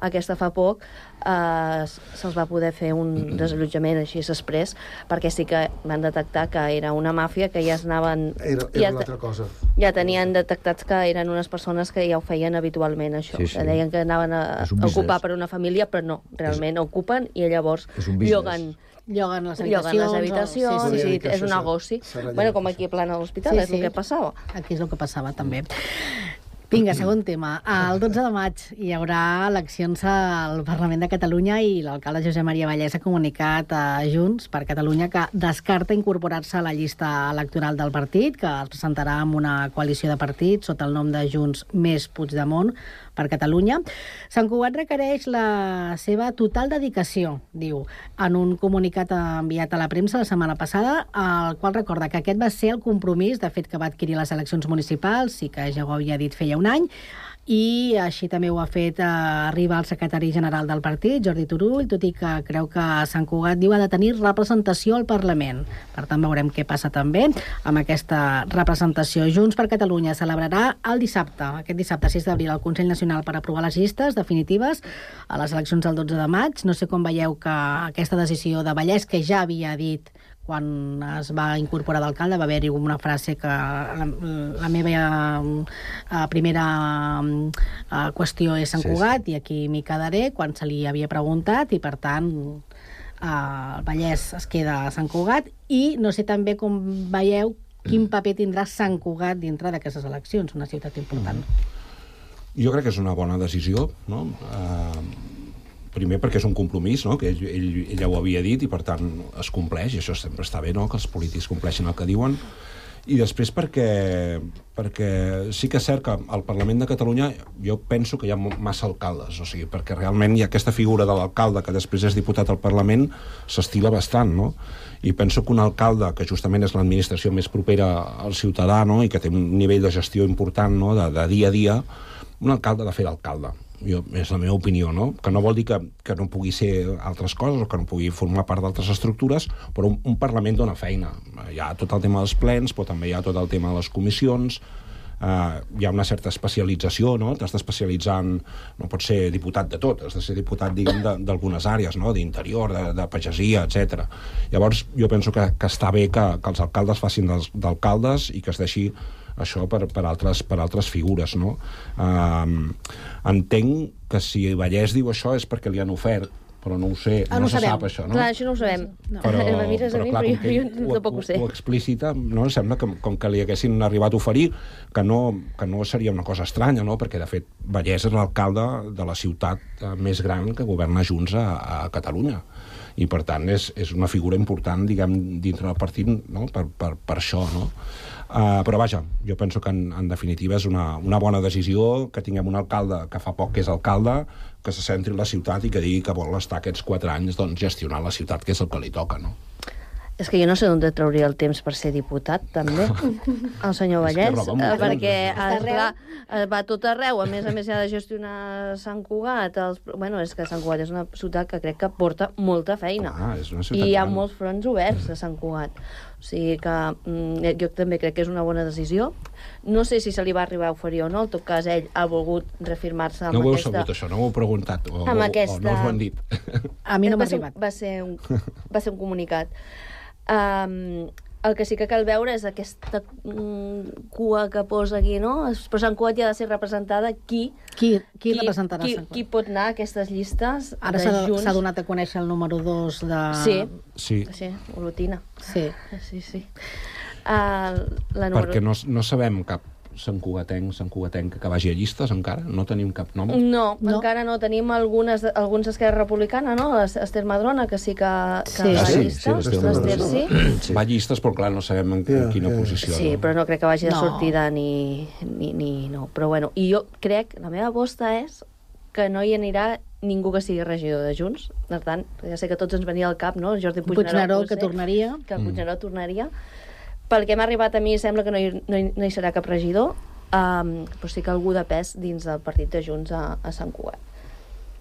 aquesta fa poc, eh, se'ls va poder fer un desallotjament així exprés, perquè sí que van detectar que era una màfia, que ja es anaven... Era, era ja, una altra cosa. Ja tenien detectats que eren unes persones que ja ho feien habitualment, això. Sí, sí. Que deien que anaven a, a ocupar per una família, però no, realment és... ocupen i llavors lloguen... Lloguen les habitacions. Lloguen les habitacions, o... sí, sí, sí, és un negoci. Bueno, com aquí a Plana de l'Hospital, sí, és sí. el que passava. Aquí és el que passava, també. Vinga, segon tema. El dotze de maig hi haurà eleccions al Parlament de Catalunya i l'alcalde Josep Maria Vallès ha comunicat a Junts per Catalunya que descarta incorporar-se a la llista electoral del partit, que es presentarà amb una coalició de partits sota el nom de Junts més Puigdemont per Catalunya. Sant Cugat requereix la seva total dedicació, diu, en un comunicat enviat a la premsa la setmana passada, el qual recorda que aquest va ser el compromís, de fet, que va adquirir les eleccions municipals i que ja ho havia dit feia un any, i així també ho ha fet eh, arribar el secretari general del partit, Jordi Turull, tot i que creu que Sant Cugat diu ha de tenir representació al Parlament. Per tant, veurem què passa també amb aquesta representació. Junts per Catalunya celebrarà el dissabte, aquest dissabte sis d'abril, el Consell Nacional per aprovar les llistes definitives a les eleccions del dotze de maig. No sé com veieu que aquesta decisió de Vallès, que ja havia dit quan es va incorporar d'alcalde, va haver-hi una frase que la, la meva uh, primera uh, qüestió és Sant Cugat, sí, sí. i aquí m'hi quedaré, quan se li havia preguntat, i per tant uh, el Vallès es queda a Sant Cugat, i no sé també com veieu quin paper tindrà Sant Cugat dintre d'aquestes eleccions, una ciutat important. Jo crec que és una bona decisió, no? Uh... Primer perquè és un compromís, no? Que ell, ell, ella ho havia dit i per tant es compleix, i això sempre està bé, no? Que els polítics compleixin el que diuen. I després perquè, perquè sí que és cert que al Parlament de Catalunya jo penso que hi ha massa alcaldes, o sigui, perquè realment hi ha aquesta figura de l'alcalde que després és diputat al Parlament, s'estila bastant, no? I penso que un alcalde, que justament és l'administració més propera al ciutadà, no? I que té un nivell de gestió important, no? de, de dia a dia, un alcalde ha de fer d'alcalde. Jo, és la meva opinió, no? Que no vol dir que, que no pugui ser altres coses o que no pugui formar part d'altres estructures, però un, un Parlament dona feina. Hi ha tot el tema dels plens, però també hi ha tot el tema de les comissions, eh, hi ha una certa especialització, no? T'has d'especialitzar en... No pots ser diputat de tot, has de ser diputat, diguem, d'algunes àrees, no? D'interior, de, de pagesia, etcètera. Llavors, jo penso que, que està bé que, que els alcaldes facin d'alcaldes i que es deixi això per, per, altres, per altres figures, no? Um, entenc que si Vallès diu això és perquè li han ofert, però no ho sé, ah, no, no se sabem. sap això, no? Clar, això no ho sabem. No. Però, me mires a mi, però, clar, però jo, jo ho, tampoc ho sé. Ho, ho explícita, no? Sembla que com que li haguessin arribat a oferir, que no, que no seria una cosa estranya, no? Perquè, de fet, Vallès és l'alcalde de la ciutat més gran que governa Junts a, a Catalunya. I, per tant, és, és una figura important, diguem, dintre del partit, no? per, per, per això, no? Uh, però vaja, jo penso que en, en definitiva és una, una bona decisió que tinguem un alcalde que fa poc que és alcalde, que se centri en la ciutat i que digui que vol estar aquests quatre anys doncs, gestionant la ciutat, que és el que li toca, no? És que jo no sé d'on trauria el temps per ser diputat, també, el senyor Vallès, perquè esclar, va tot arreu, a més a més ha de gestionar Sant Cugat, els... bueno, és que Sant Cugat és una ciutat que crec que porta molta feina, ah, és una ciutat i hi ha gran. molts fronts oberts a Sant Cugat, o sigui que mm, jo també crec que és una bona decisió. No sé si se li va arribar a oferir o no, en tot cas ell ha volgut reafirmar-se amb no aquesta... No ho heu sabut, això, no ho heu preguntat, o, amb o, aquesta... o no us ho han dit. A mi no m'ha va ser, arribat. Va ser, un, va ser un comunicat. Um, el que sí que cal veure és aquesta mm, cua que posa aquí, no? Però Sant Cugat ja ha de ser representada qui... Qui, qui, qui representarà qui, Sant Cugat? Qui pot anar a aquestes llistes Ara s'ha donat a conèixer el número dos de... Sí, sí. sí, Olotina. Sí. Sí, sí. Uh, la número... Perquè no, no sabem cap santcugatenc, santcugatenc que vagi a llistes encara? No tenim cap nom? No, no. encara no. Tenim algunes, alguns d'Esquerra Republicana, no? Ester Madrona, que sí que, que sí. va a sí, llistes. Sí, l'Ester sí. sí. Va a llistes, però clar, no sabem en yeah, quina yeah. posició. Sí, no? però no crec que vagi de no. sortida ni, ni, ni... No. Però bueno, i jo crec, la meva aposta és que no hi anirà ningú que sigui regidor de Junts. Per tant, ja sé que tots ens venia al cap, no? Jordi Puigneró, Puigneró que tornaria. Que Puigneró mm. tornaria. Pel que m'ha arribat a mi, sembla que no hi, no hi, no hi serà cap regidor, um, però sí que algú de pes dins del partit de Junts a, a Sant Cugat.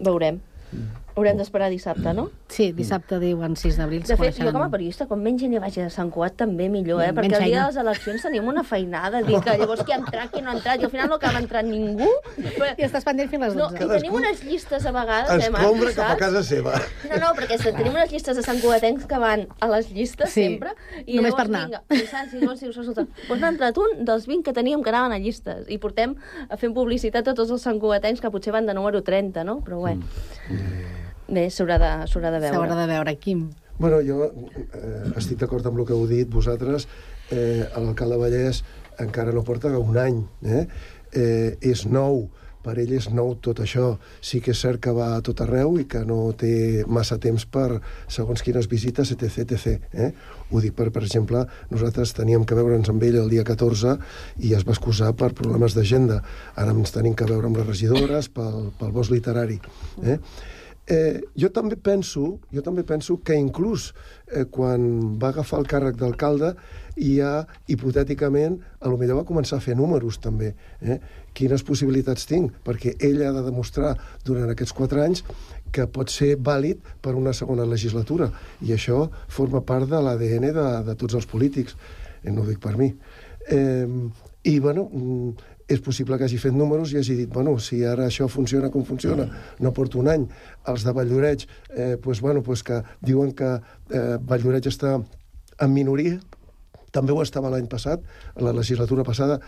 Veurem. Mm. Haurem d'esperar dissabte, no? Sí, dissabte diuen sis d'abril. De fet, jo com a periodista, com menys gent hi vagi a Sant Cugat, també millor, eh? Perquè el dia de les eleccions tenim una feinada, dir que llavors qui ha entrat, qui no ha entrat, i al final no acaba entrant ningú. Però... I estàs pendent fins a les dotze. No, i tenim unes llistes a vegades, eh, Marc, cap a casa seva. No, no, perquè tenim unes llistes de Sant Cugatencs que van a les llistes sí, sempre, i només llavors, per anar. Vinga, i saps, i llavors dius, resulta, doncs n'ha entrat un dels vint que teníem que anaven a llistes, i portem fent publicitat a tots els Sant Cugatencs que potser van de número trenta, no? Però bé... Mm. Bé, s'haurà de, s'haurà de veure. S'haurà de veure, Quim. Bueno, jo eh, estic d'acord amb el que heu dit vosaltres. Eh, l'alcalde Vallès encara no porta un any. Eh? Eh, és nou, per ell és nou tot això. Sí que és cert que va a tot arreu i que no té massa temps per segons quines visites, etc etcètera. Eh? Ho dic per, per exemple, nosaltres teníem que veure'ns amb ell el dia catorze i es va excusar per problemes d'agenda. Ara ens tenim que veure amb les regidores pel, pel bosc literari. Eh? Eh, jo també penso jo també penso que inclús eh, quan va agafar el càrrec d'alcalde ja, hipotèticament, a lo millor va començar a fer números també. Eh? Quines possibilitats tinc? Perquè ell ha de demostrar durant aquests quatre anys que pot ser vàlid per una segona legislatura, i això forma part de l'A D N de, de tots els polítics. Eh, no ho dic per mi. Eh, I, bueno... és possible que hagi fet números i hagi dit, bueno, si ara això funciona com funciona, no porto un any. Els de Vall-lloreig, eh, pues, bueno, pues que diuen que eh, Vall-lloreig està en minoria, també ho estava l'any passat, la legislatura passada,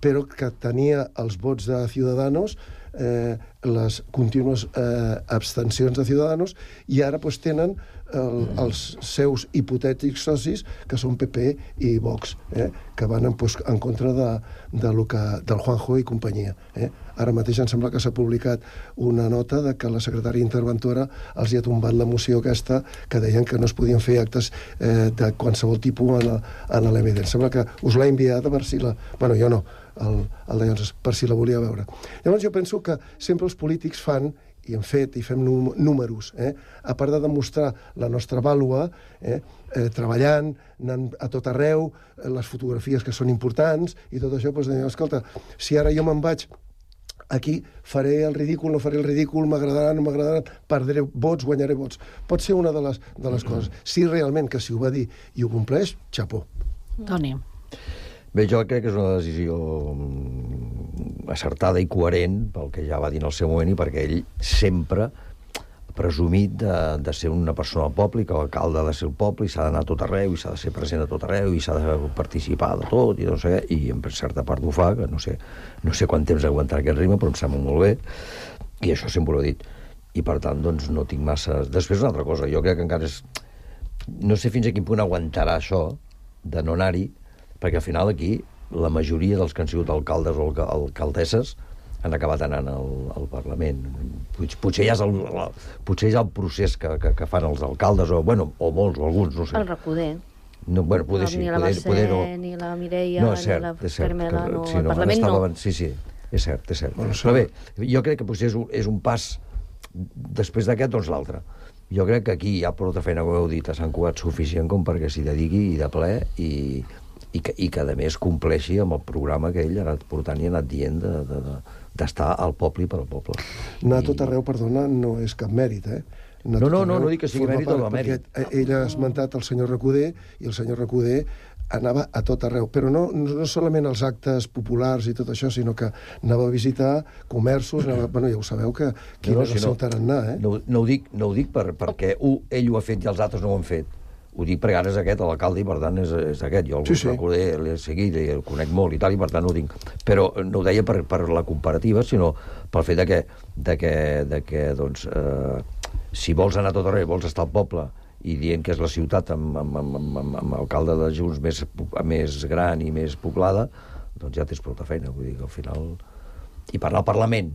però que tenia els vots de Ciudadanos, eh, les contínues eh, abstencions de Ciudadanos, i ara pues, tenen el, els seus hipotètics socis, que són P P i Vox, eh, que van en, pues, en contra de, de lo que, del Juanjo i companyia. Eh. Ara mateix em sembla que s'ha publicat una nota de que la secretària interventora els hi ha tombat la moció aquesta que deien que no es podien fer actes eh, de qualsevol tipus en, en l'E M D. Em sembla que us l'ha enviat a veure si la... Bueno, jo no, el, el de Llons, per si la volia veure. Llavors jo penso que sempre els polítics fan, i hem fet, i fem números, eh? A part de demostrar la nostra vàlua, eh? Eh, treballant, anant a tot arreu, eh, les fotografies que són importants, i tot això, doncs, deia, escolta, si ara jo me'n vaig aquí, faré el ridícul, no faré el ridícul, m'agradarà, no m'agradarà, perdré vots, guanyaré vots. Pot ser una de les, de les coses. Si realment que si ho va dir i ho compleix, xapó. Toni. Bé, jo crec que és una decisió acertada i coherent pel que ja va dir en el seu moment i perquè ell sempre ha presumit de, de ser una persona del poble i que l'alcalde ha de ser el poble i s'ha d'anar a tot arreu i s'ha de ser present a tot arreu i s'ha de participar de tot i no sé què, i en certa part ho fa, que no sé, no sé quant temps aguantarà aquest ritme, però em sembla molt bé, i això sempre ho he dit. I per tant, doncs, no tinc massa... Després una altra cosa, jo crec que encara és... No sé fins a quin punt aguantarà això de no anar-hi, perquè al final aquí la majoria dels que han sigut alcaldes o alcaldesses han acabat anant al, al Parlament. Potser ja és el, la, potser ja el procés que, que, que fan els alcaldes, o, bueno, o molts, o alguns, no sé. El Recoder. No, bueno, poder sí. Ni la poder, Mercè, poder no. ni la Mireia, no, cert, ni la cert, Carmela, que, no, sí, el no, Parlament no. Abans, sí, sí, és cert, és cert. Bueno, però bé, jo crec que potser és un, és un pas després d'aquest, doncs l'altre. Jo crec que aquí hi ha prou feina, com heu dit, a Sant Cugat suficient com perquè s'hi dediqui i de ple i... I que, i que, a més, compleixi amb el programa que ell ha anat portant i ha anat dient de, de, de, d'estar al poble i per al poble. Anar a tot arreu, perdona, no és cap mèrit, eh? No, no, no, no dic que sigui mèrit o no mèrit. Ell ha esmentat el senyor Recoder, i el senyor Recoder anava a tot arreu, però no, no solament els actes populars i tot això, sinó que anava a visitar comerços, anava, bueno, ja ho sabeu que quin no, no, és el seu tarannà, eh? No, no ho dic, no ho dic per, perquè uh, ell ho ha fet i els altres no ho han fet. Ho dic perquè ara és aquest, l'alcalde, i per tant és, és aquest. Jo el sí, sí. Recoder, l'he seguit i el conec molt i tal, i per tant ho dic. Però no ho deia per, per la comparativa, sinó pel fet de que, de que, de que doncs, eh, si vols anar a tot arreu, vols estar al poble, i dient que és la ciutat amb, amb, amb, amb, amb alcalde de Junts més, més gran i més poblada, doncs ja tens prou feina. Vull dir que al final... I parlar al Parlament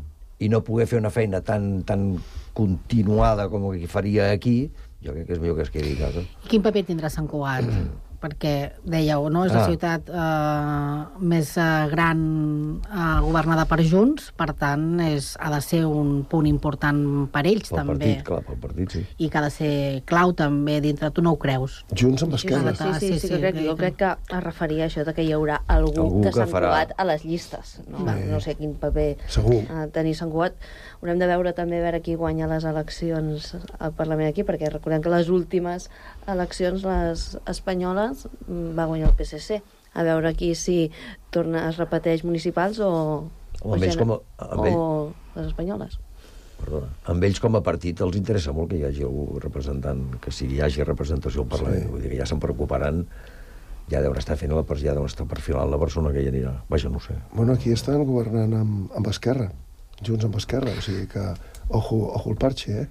i no poder fer una feina tan, tan continuada com que faria aquí, jo crec que és millor que es quedi a casa. Quin paper tindrà Sant Cugat? Perquè, dèieu, no? És la Ah. ciutat eh, més eh, gran eh, governada per Junts, per tant, és, ha de ser un punt important per ells, Pel també. partit, clar, pel partit, sí. I que ha de ser clau, també, dintre. Tu no ho creus? Junts amb Sí, Esquerra. sí, sí, sí, sí, que crec, jo crec que es referia a això de que hi haurà algú, Algú de que Sant farà. Cugat a les llistes. No, Sí. no sé quin paper Segur. uh, tenir Sant Cugat. Haurem de veure també a veure qui guanya les eleccions al Parlament aquí, perquè recordem que les últimes eleccions, les espanyoles, va guanyar el P S C. A veure aquí si torna, es repeteix municipals o, O amb ells gener- com a- amb o les espanyoles. Perdona. Amb ells com a partit els interessa molt que hi hagi algú representant, que sigui, hi hagi representació al Parlament. Sí. Vull dir que ja se'n preocuparan, ja deuen estar fent la, ja deuen estar perfilant la persona que hi anirà. Vaja, no ho sé. Bueno, aquí estan governant amb, amb Esquerra, Junts amb Esquerra, o sigui que, ojo, ojo el parche, eh?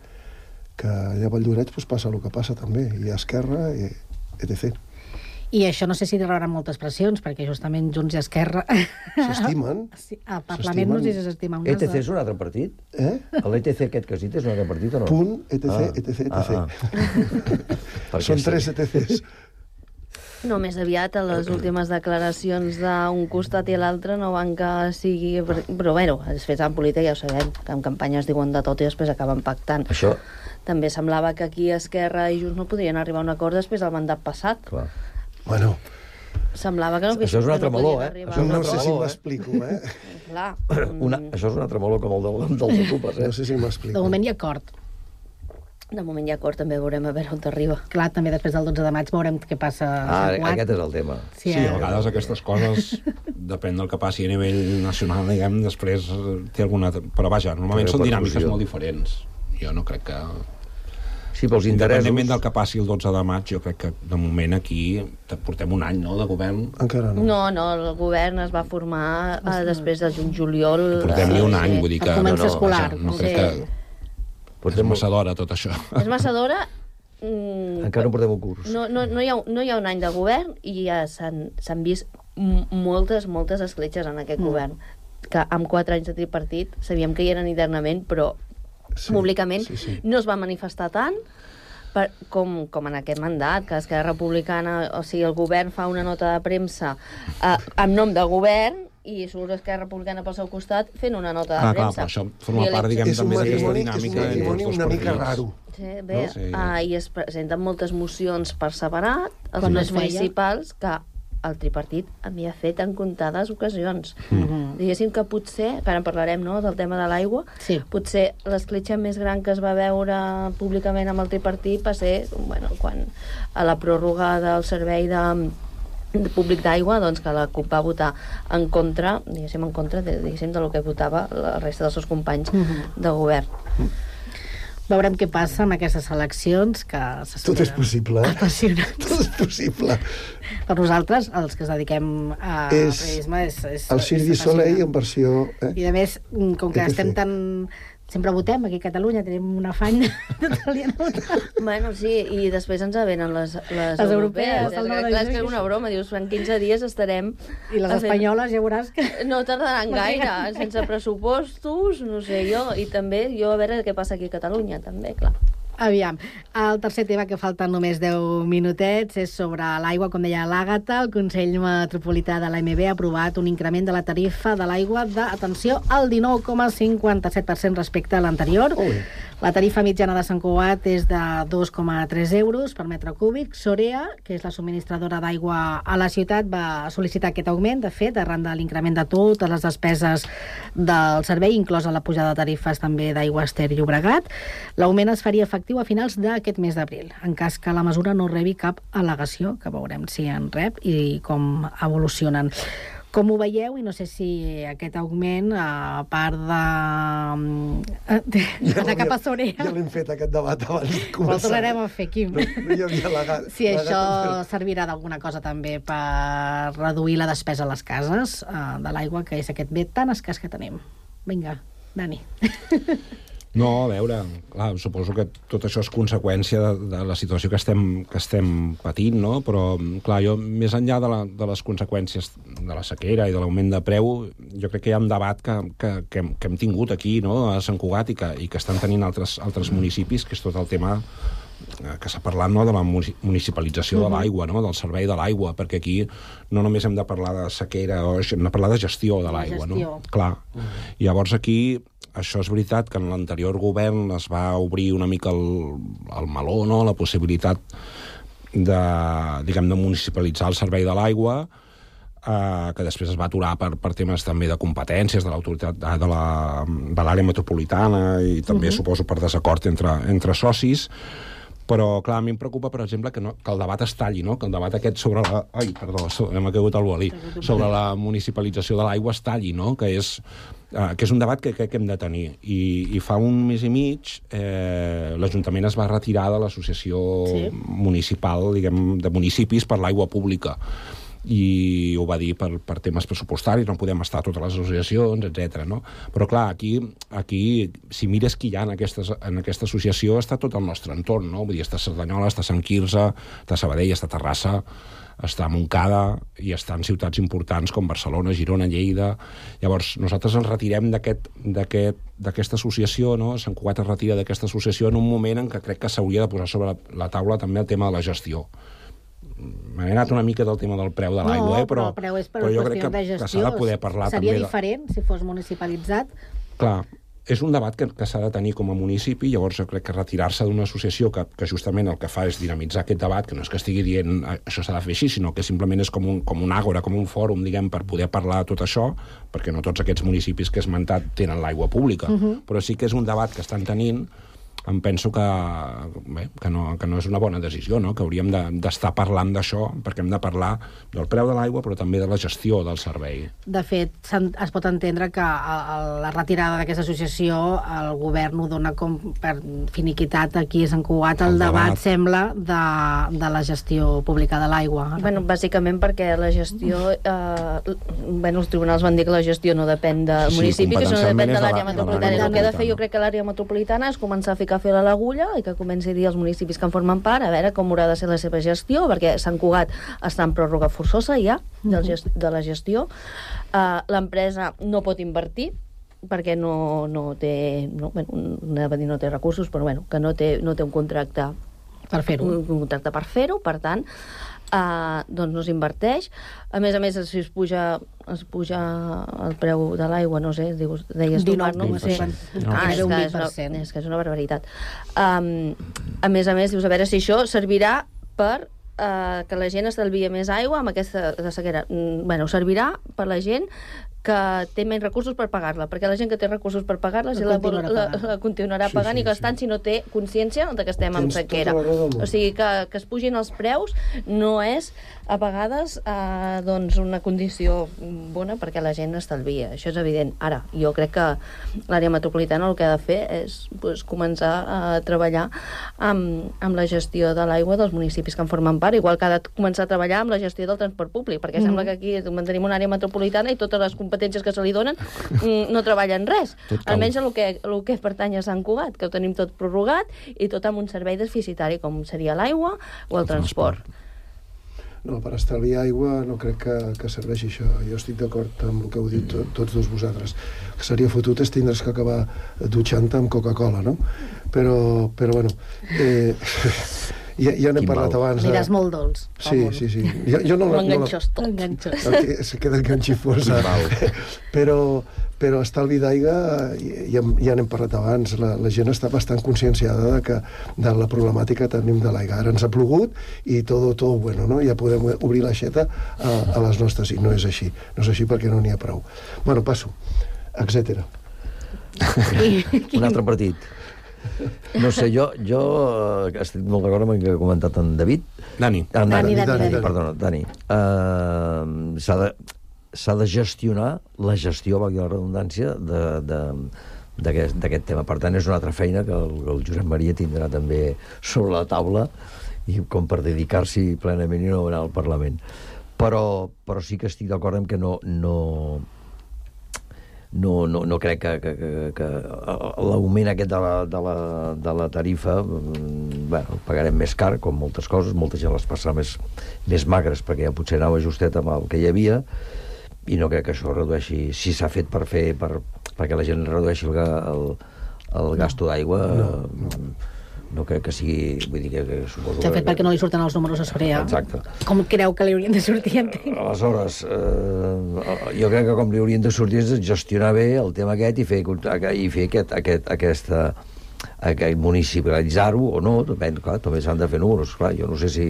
Que allà a Valldoreix pues, passa el que passa també, i a Esquerra, i etcètera. I això no sé si rebran moltes pressions, perquè justament Junts i Esquerra... S'estimen. Sí, al Parlament no sé si s'estimen. E T C és un altre partit? Eh? L'E T C aquest que has dit és un altre partit o no? Punt, etc, Ah. etc, Ah, etc. ah. Perquè Són sí. tres E T Cs. No, més aviat a les últimes declaracions d'un costat i l'altre no van que sigui... Però, bueno, els fets en política ja ho sabem, que en campanya es diuen de tot i després acaben pactant. Això... També semblava que aquí Esquerra i Junts no podien arribar a un acord després del mandat passat. Clar. Bueno, Semblava que no, Això és un que altre no meló, podien eh? arribar Això és a un no un sé altre si meló, eh? m'explico, eh? Clar. Una, això és un altre meló com el del, dels ocupes, eh? No sé si De m'explico. moment hi ha acord. De moment hi ha acord, també veurem a veure on arriba. Clar, també després del dotze de maig veurem què passa a Ah, Sant Cugat. aquest és el tema. Sí, Sí, eh? a vegades aquestes coses, depèn del que passi a nivell nacional, diguem, després eh, té alguna... Però vaja, normalment Té són dinàmiques repercussió. molt diferents. Jo no crec que... Sí, pels interessos... Independentment del que passi el dotze de maig, jo crec que de moment aquí portem un any, no?, de govern. Encara no. No, no, el govern es va formar eh, després de juny-juliol. Portem-li un any, Sí. vull dir que... El comença escolar, vaja, no sí. crec que... És massa d'hora, tot això. És massa d'hora. Mm, Encara no portem un curs. no, no, no, hi ha, no hi ha un any de govern i ja s'han s'han vist m- moltes, moltes escletxes en aquest Mm. govern, que amb quatre anys de tripartit sabíem que hi eren internament, però Sí, públicament sí, sí. no es va manifestar tant per, com, com en aquest mandat, que Esquerra Republicana, o sigui, el govern fa una nota de premsa eh, en nom del govern i surt Esquerra Republicana pel seu costat fent una nota de Ah, clar, premsa. però això forma I part, diguem, És un també d'aquesta matrimoni, és un dinàmica entre els matrimoni dos una mica partits. raro. Sí, bé, No? Sí. uh, i es presenten moltes mocions per separat, els Quan no plens es feia? municipals, que el tripartit havia fet en comptades ocasions. Mhm. Diguéssim que potser, que ara en parlarem, no?, del tema de l'aigua, Sí. potser l'escletxa més gran que es va veure públicament amb el tripartit va ser, bueno, quan a la pròrroga del servei de, de públic d'aigua, doncs que la CUP va votar en contra, diguéssim, en contra de, diguéssim, de lo que votava la resta dels seus companys Mhm. de govern. Veurem què passa amb aquestes eleccions, que se Tot és possible, eh? apassionants. Tot és possible. Per nosaltres, els que es dediquem a És periodisme, és, és, El Cirque du és Soleil apassionant. en versió... Eh? I a més, com que E T C. estem tan... Sempre votem aquí a Catalunya, tenim un afany de votar. Bueno, sí, i després ens venen les, les, Les europees. europees, el nou de Clar, és que és juny. una broma, dius, en quinze dies estarem... I les a fer- espanyoles ja veuràs que... No tardaran gaire, sense pressupostos, no sé jo, i també jo a veure què passa aquí a Catalunya, també, clar. Aviam, el tercer tema, que falten només deu minutets, és sobre l'aigua. Com deia l'Àgata, el Consell Metropolità de l'A M B ha aprovat un increment de la tarifa de l'aigua de, atenció, al dinou coma cinquanta-set per cent respecte a l'anterior. Ui. La tarifa mitjana de Sant Cugat és de dos coma tres euros per metre cúbic. Sorea, que és la subministradora d'aigua a la ciutat, va sol·licitar aquest augment, de fet, arran de l'increment de totes les despeses del servei, inclosa la pujada de tarifes també d'Aigües Ter Llobregat. L'augment es faria efectiu a finals d'aquest mes d'abril, en cas que la mesura no rebi cap al·legació, que veurem si en rep i com evolucionen. Com ho veieu? I no sé si aquest augment, a part de... de, de cap a Sorea... Ja l'hem fet, aquest debat, abans de Però començar. el tornarem a fer, Quim. No, no hi havia la, Si la això gata. servirà d'alguna cosa també per reduir la despesa a les cases eh, de l'aigua, que és aquest bé tan escàs que tenim. Vinga, Dani. No, a veure, clar, suposo que tot això és conseqüència de, de la situació que estem, que estem patint, no? Però, clar, jo, més enllà de, la, de les conseqüències de la sequera i de l'augment de preu, jo crec que hi ha un debat que, que, que, hem, que hem tingut aquí, no?, a Sant Cugat, i que, i que estan tenint altres, altres municipis, que és tot el tema que s'ha parlat, no?, de la municipalització de l'aigua, no?, del servei de l'aigua, perquè aquí no només hem de parlar de sequera, hem de parlar de gestió de l'aigua, no? Clar. I llavors aquí, això és veritat que en l'anterior govern es va obrir una mica el, el meló, no?, la possibilitat de, diguem, de municipalitzar el servei de l'aigua, eh, que després es va aturar per, per temes també de competències de l'autoritat de, de l'àrea metropolitana i també, uh-huh. suposo, per desacord entre, entre socis. Però, clar, a mi em preocupa, per exemple, que, no, que el debat es talli, no?, que el debat aquest sobre la... Ai, perdó, m'ha caigut el bolí. Sobre la municipalització de l'aigua es talli, no?, que és, eh, que és un debat que crec que hem de tenir. I, i fa un mes i mig eh, l'Ajuntament es va retirar de l'associació sí. municipal, diguem, de municipis per l'aigua pública. I ho va dir per, per temes pressupostaris, no podem estar a totes les associacions, etcètera, no? Però, clar, aquí, aquí si mires qui hi ha en, aquestes, en aquesta associació, està tot el nostre entorn, no? Vull dir, està Cerdanyola, està Sant Quirze, està Sabadell, està Terrassa, està Montcada, i està en ciutats importants com Barcelona, Girona, Lleida. Llavors, nosaltres ens retirem d'aquesta associació, no? Sant Cugat es retira d'aquesta associació en un moment en què crec que s'hauria de posar sobre la, la taula també el tema de la gestió. M'he anat una mica del tema del preu de l'aigua, no, eh? però, però el preu és per però jo qüestió crec que, de gestió. que s'ha de poder parlar Seria també... diferent de... si fos municipalitzat? Clar, és un debat que, que s'ha de tenir com a municipi, llavors jo crec que retirar-se d'una associació que, que justament el que fa és dinamitzar aquest debat, que no és que estigui dient això s'ha de fer així, sinó que simplement és com un, com un àgora, com un fòrum, diguem, per poder parlar de tot això, perquè no tots aquests municipis que he esmentat tenen l'aigua pública, uh-huh. però sí que és un debat que estan tenint. Em penso que, bé, que, no, que no és una bona decisió, no? Que hauríem d'estar de, parlant d'això, perquè hem de parlar del preu de l'aigua, però també de la gestió del servei. De fet, es pot entendre que a, a la retirada d'aquesta associació el govern ho dona com per finiquitat aquí a Sant Cugat. El, el debat, debat, sembla, de, de la gestió pública de l'aigua. Bueno, bàsicament perquè la gestió... Eh, bueno, els tribunals van dir que la gestió no depèn del sí, municipi, que això no depèn de l'àrea metropolitana. El que ha de fer, jo crec que l'àrea metropolitana és començar a ficar a fer a l'agulla i que comenci a dir als municipis que en formen part a veure com haurà de ser la seva gestió, perquè Sant Cugat està en pròrroga forçosa ja de, gest de la gestió. Uh, l'empresa no pot invertir perquè no, no té no, bueno, no, no té recursos, però bueno, que no té, no té un contracte per fer-ho, un, un contracte per fer-ho, per tant Uh, doncs no s'inverteix. A més a més, si es puja, es puja el preu de l'aigua, no sé, dius, deies tu, Marc, no? No sé. Ah, és, que és, una, és que és una barbaritat. Um, a més a més, dius, a veure si això servirà per uh, que la gent estalvia més aigua amb aquesta de sequera. Mm, bueno, servirà per la gent que té menys recursos per pagar-la, perquè la gent que té recursos per pagar-la la, la, la, la continuarà sí, pagant sí, i gastant sí. si no té consciència de que estem Tens en sequera. O sigui, que, que es pugin els preus no és a vegades eh, doncs una condició bona perquè la gent estalvia. Això és evident. Ara, jo crec que l'àrea metropolitana el que ha de fer és pues, començar a treballar amb, amb la gestió de l'aigua dels municipis que en formen part, igual que ha de començar a treballar amb la gestió del transport públic, perquè mm. sembla que aquí mantenim una àrea metropolitana i totes les competències que se li donen no treballen res. Almenys el que, el que pertany a Sant Cugat, que ho tenim tot prorrogat i tot amb un servei deficitari com seria l'aigua o el transport. No, per estalviar aigua no crec que, que serveixi això. Jo estic d'acord amb el que heu dit tot, tots dos vosaltres. El que seria fotut és tindre's que acabar dutxant-te amb Coca-Cola, no? Però, però bueno... Eh, ja, ja n'hem parlat abans. Aniràs molt dolç. Sí, sí, sí. Jo, jo no M'enganxós tot. M'enganxós. Se queda enganxifós. Però, però estalvi d'aigua, ja, ja n'hem parlat abans, la, la gent està bastant conscienciada de, que, de la problemàtica que tenim de l'aigua. Ara ens ha plogut i tot, tot bueno, no? Ja podem obrir l'aixeta a, a les nostres, i no és així. No és així perquè no n'hi ha prou. Bueno, passo. Etcètera. Un altre partit. No sé, jo, jo estic molt d'acord amb el que ha comentat en David. Dani. En Dani, Dani, Dani, Dani, Dani. Perdona, Dani. Uh, s'ha de, s'ha de gestionar la gestió, valgui la redundància, d'aquest tema. Per tant, és una altra feina que el, el Josep Maria tindrà també sobre la taula, i com per dedicar-s'hi plenament i no anar al Parlament. Però, però sí que estic d'acord amb que no... no no, no, no crec que, que, que, que l'augment aquest de la, de la, de la tarifa, bueno, pagarem més car, com moltes coses, molta gent les passarà més, més magres, perquè ja potser anava justet amb el que hi havia, i no crec que això redueixi, si s'ha fet per fer, per, perquè la gent redueixi el, el, el gasto d'aigua, no, no. no crec que sigui... Vull dir que, que suposo S'ha fet que, perquè no li surten els números a sobre, ja. Exacte. Com creu que li haurien de sortir, entenc? Aleshores, eh, jo crec que com li haurien de sortir és gestionar bé el tema aquest i fer, i fer aquest, aquest, aquesta, aquest municipalitzar-ho o no, depèn, clar, també s'han de fer números, clar, jo no sé si,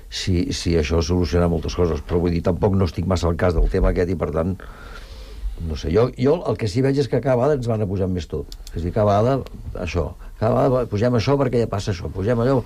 si, si això soluciona moltes coses, però vull dir, tampoc no estic massa al cas del tema aquest i, per tant, no sé, jo, jo el que sí veig és que cada vegada ens van a pujar més tot. És a dir, cada vegada, això, cada vegada pugem això perquè ja passa això, pugem allò...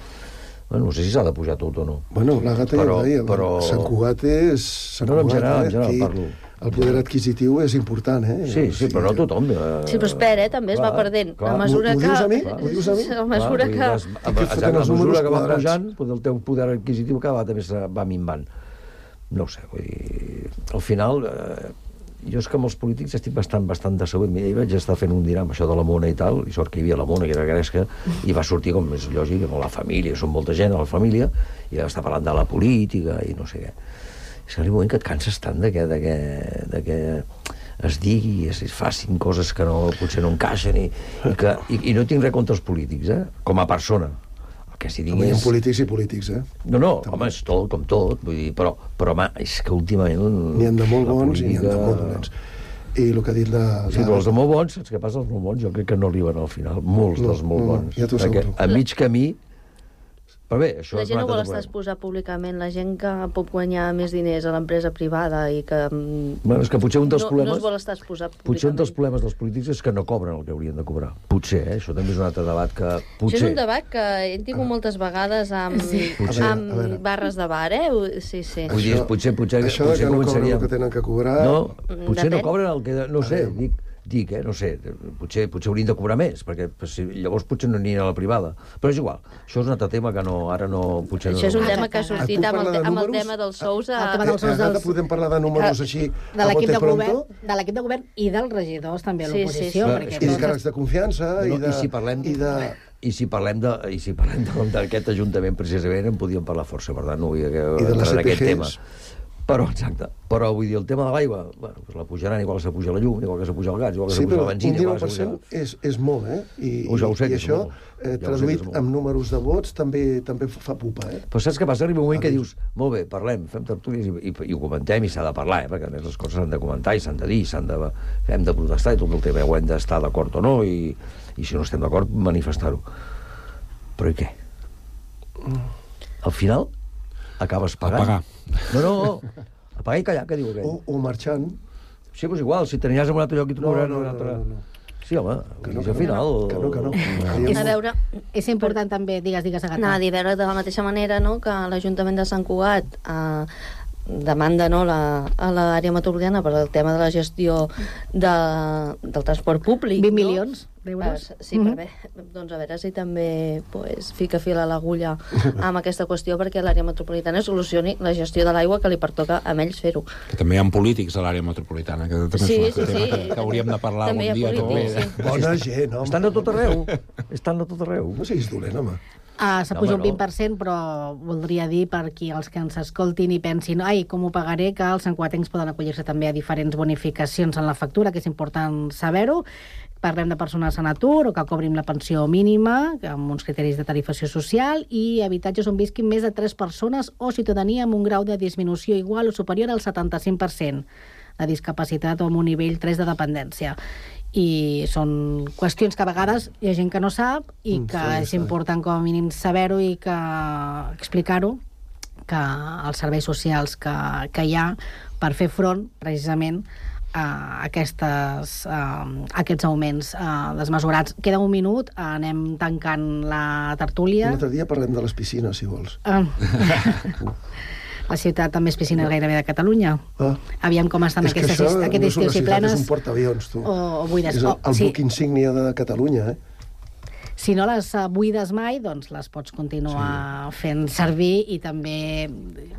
Bueno, no sé si s'ha de pujar tot o no. Bueno, la gata però, ja ho deia, però... Sant Cugat és... Sant no, no, en Cugat, general, eh? en general Aquí parlo. El poder adquisitiu és important, eh? Sí, sí, però no tothom. Eh... Sí, però espera, eh? També es va perdent. A mesura que... Ho dius a mi? Ho dius a mi? A mesura que... A mesura que va pujant, el teu poder adquisitiu cada vegada més va minvant. No sé, vull dir... Al final... Eh... Jo és que amb els polítics estic bastant, bastant decebut. Mira, hi vaig estar fent un dinar amb això de la Mona i tal, i sort que hi havia la Mona, que era gresca, i va sortir, com és lògic, amb la família, són molta gent a la família, i va estar parlant de la política i no sé què. És que arriba un moment que et canses tant de que, de que, de que es digui, es, es facin coses que no, potser no encaixen, i, i, que, i, i no tinc res contra els polítics, eh? Com a persona. Que si digués... Hi ha polítics i polítics, eh? No, no, també. Home, és tot, com tot, vull dir, però, però home, és que últimament... N'hi ha de molt bons política... i n'hi ha de molt dolents. I el que ha dit la... Sí, però els de molt bons, saps què passa? Els molt bons jo crec que no arriben al final, molts no, dels molt no, bons. Ja t'ho perquè asseguro. a mig camí... Però bé, això la és gent no vol altre estar exposar públicament, la gent que pot guanyar més diners a l'empresa privada i que... Bueno, és que potser un dels no, problemes... No es vol estar exposar públicament. Potser un dels problemes dels polítics és que no cobren el que haurien de cobrar. Potser, eh? Això també és un altre debat que... Potser... Això és un debat que hem tingut moltes vegades amb, sí. potser, amb barres de bar, eh? Sí, sí. Vull dir, potser, potser, això potser que no començaria... cobren el que tenen que cobrar... No, potser Depèn. no cobren el que... No sé, dic... dic, eh, no sé, potser, potser haurien de cobrar més, perquè si, llavors potser no anirien a la privada. Però és igual, això és un altre tema que no, ara no... Potser això no... és un tema que ha sortit amb el, de amb el tema dels sous. A... El tema dels sous dels... Podem parlar de números així de l'equip de govern, de l'equip de govern i dels regidors també a Sí, l'oposició. sí, sí. Perquè I de càrrecs de confiança no, i de... I si parlem... I de... I si parlem de, i si parlem d'aquest ajuntament precisament en podíem parlar força, per tant no vull entrar en aquest tema. Però, exacte, però vull dir, el tema de l'aigua, bueno, pues la pujaran igual que s'apuja la llum, igual que s'apuja el gas, igual que sí, s'apuja la benzina... un dinou per cent és, és molt, eh? I, oh, ja ho sé, i això, eh, ja traduït amb números de vots, també també fa pupa, eh? Però saps què passa? Arriba un moment que dius, molt bé, parlem, fem tertúlies i, i, i ho comentem i s'ha de parlar, eh? Perquè a més les coses s'han de comentar i s'han de dir, s'han de, hem de protestar i tot el tema ho hem d'estar d'acord o no, i, i si no estem d'acord, manifestar-ho. Però i què? Al final, acabes pagant. A pagar. No, no, no. A pagar i callar, què diu aquell? O, o marxant. Sí, doncs igual, si t'aniries a un altre lloc i t'ho No, cobren no, un no, altre... no, no. Sí, home, Que no, al que no, final... que no, que no. A veure... És important també, digues, digues, Agatha. Anava a dir, a veure de la mateixa manera, no?, que l'Ajuntament de Sant Cugat eh, demanda, no?, la, a l'àrea metropolitana per al tema de la gestió de, del transport públic. vint no? milions d'euros. Eh, sí, mm-hmm. per bé. Doncs a veure si també pues, fica fil a l'agulla amb aquesta qüestió perquè l'àrea metropolitana solucioni la gestió de l'aigua que li pertoca a ells fer-ho. Que també hi ha polítics a l'àrea metropolitana, que també Sí, és un sí, tema sí. que, que hauríem de parlar També hi algun ha dia. polítics, també. sí. Bona gent, home. Estan de tot arreu. Estan de tot arreu. No siguis dolent, home. Ah, s'ha No, pujat home, un vint per cent, però voldria dir per qui els que ens escoltin i pensin ai, com ho pagaré, que els santcugatencs poden acollir-se també a diferents bonificacions en la factura, que és important saber-ho. Parlem de persones en atur o que cobrin la pensió mínima, amb uns criteris de tarifació social, i habitatges on visquin més de tres persones o ciutadania amb un grau de disminució igual o superior al setanta-cinc per cent de discapacitat o amb un nivell tres de dependència. I són qüestions que a vegades hi ha gent que no sap i que sí, és sí. important com a mínim saber-ho i que explicar-ho, que els serveis socials que, que hi ha per fer front precisament a aquestes, a aquests augments desmesurats. Queda un minut, anem tancant la tertúlia. Un altre dia parlem de les piscines, si vols. Ah. La ciutat amb més piscines gairebé de Catalunya. Ah. Aviam com estan és aquestes, això aquest no és estiu, una si ciutat, plenes... És un portaavions, tu. O, o buides. És el, oh, el sí. buc insígnia de Catalunya, eh? si no les buides mai, doncs les pots continuar sí. fent servir i també,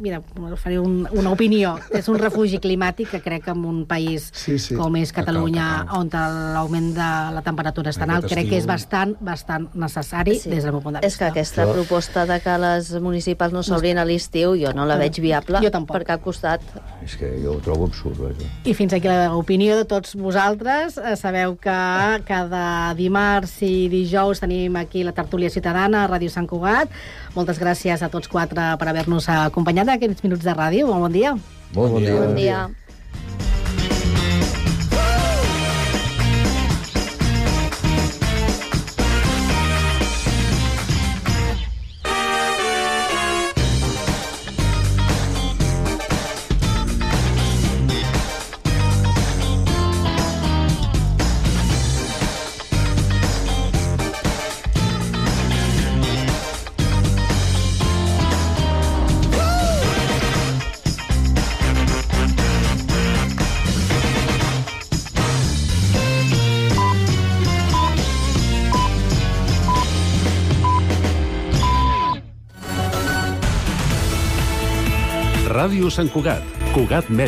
mira, faré un, una opinió. És un refugi climàtic que crec que en un país sí, sí. com és Catalunya, on l'augment de la temperatura és tan alt, crec que és bastant, bastant necessari sí. des del meu punt de vista. És que aquesta proposta de que les municipals no s'obrin a l'estiu jo no la veig viable per cap costat. És que jo ho trobo absurd. Vaja. I fins aquí l'opinió de tots vosaltres. Sabeu que cada dimarts i dijous tenim aquí la tertúlia ciutadana a Ràdio Sant Cugat. Moltes gràcies a tots quatre per haver-nos acompanyat en aquests minuts de ràdio. Molt bon dia. Molt bon dia. Bon dia. Ràdio Sant Cugat, Cugat Mèdia.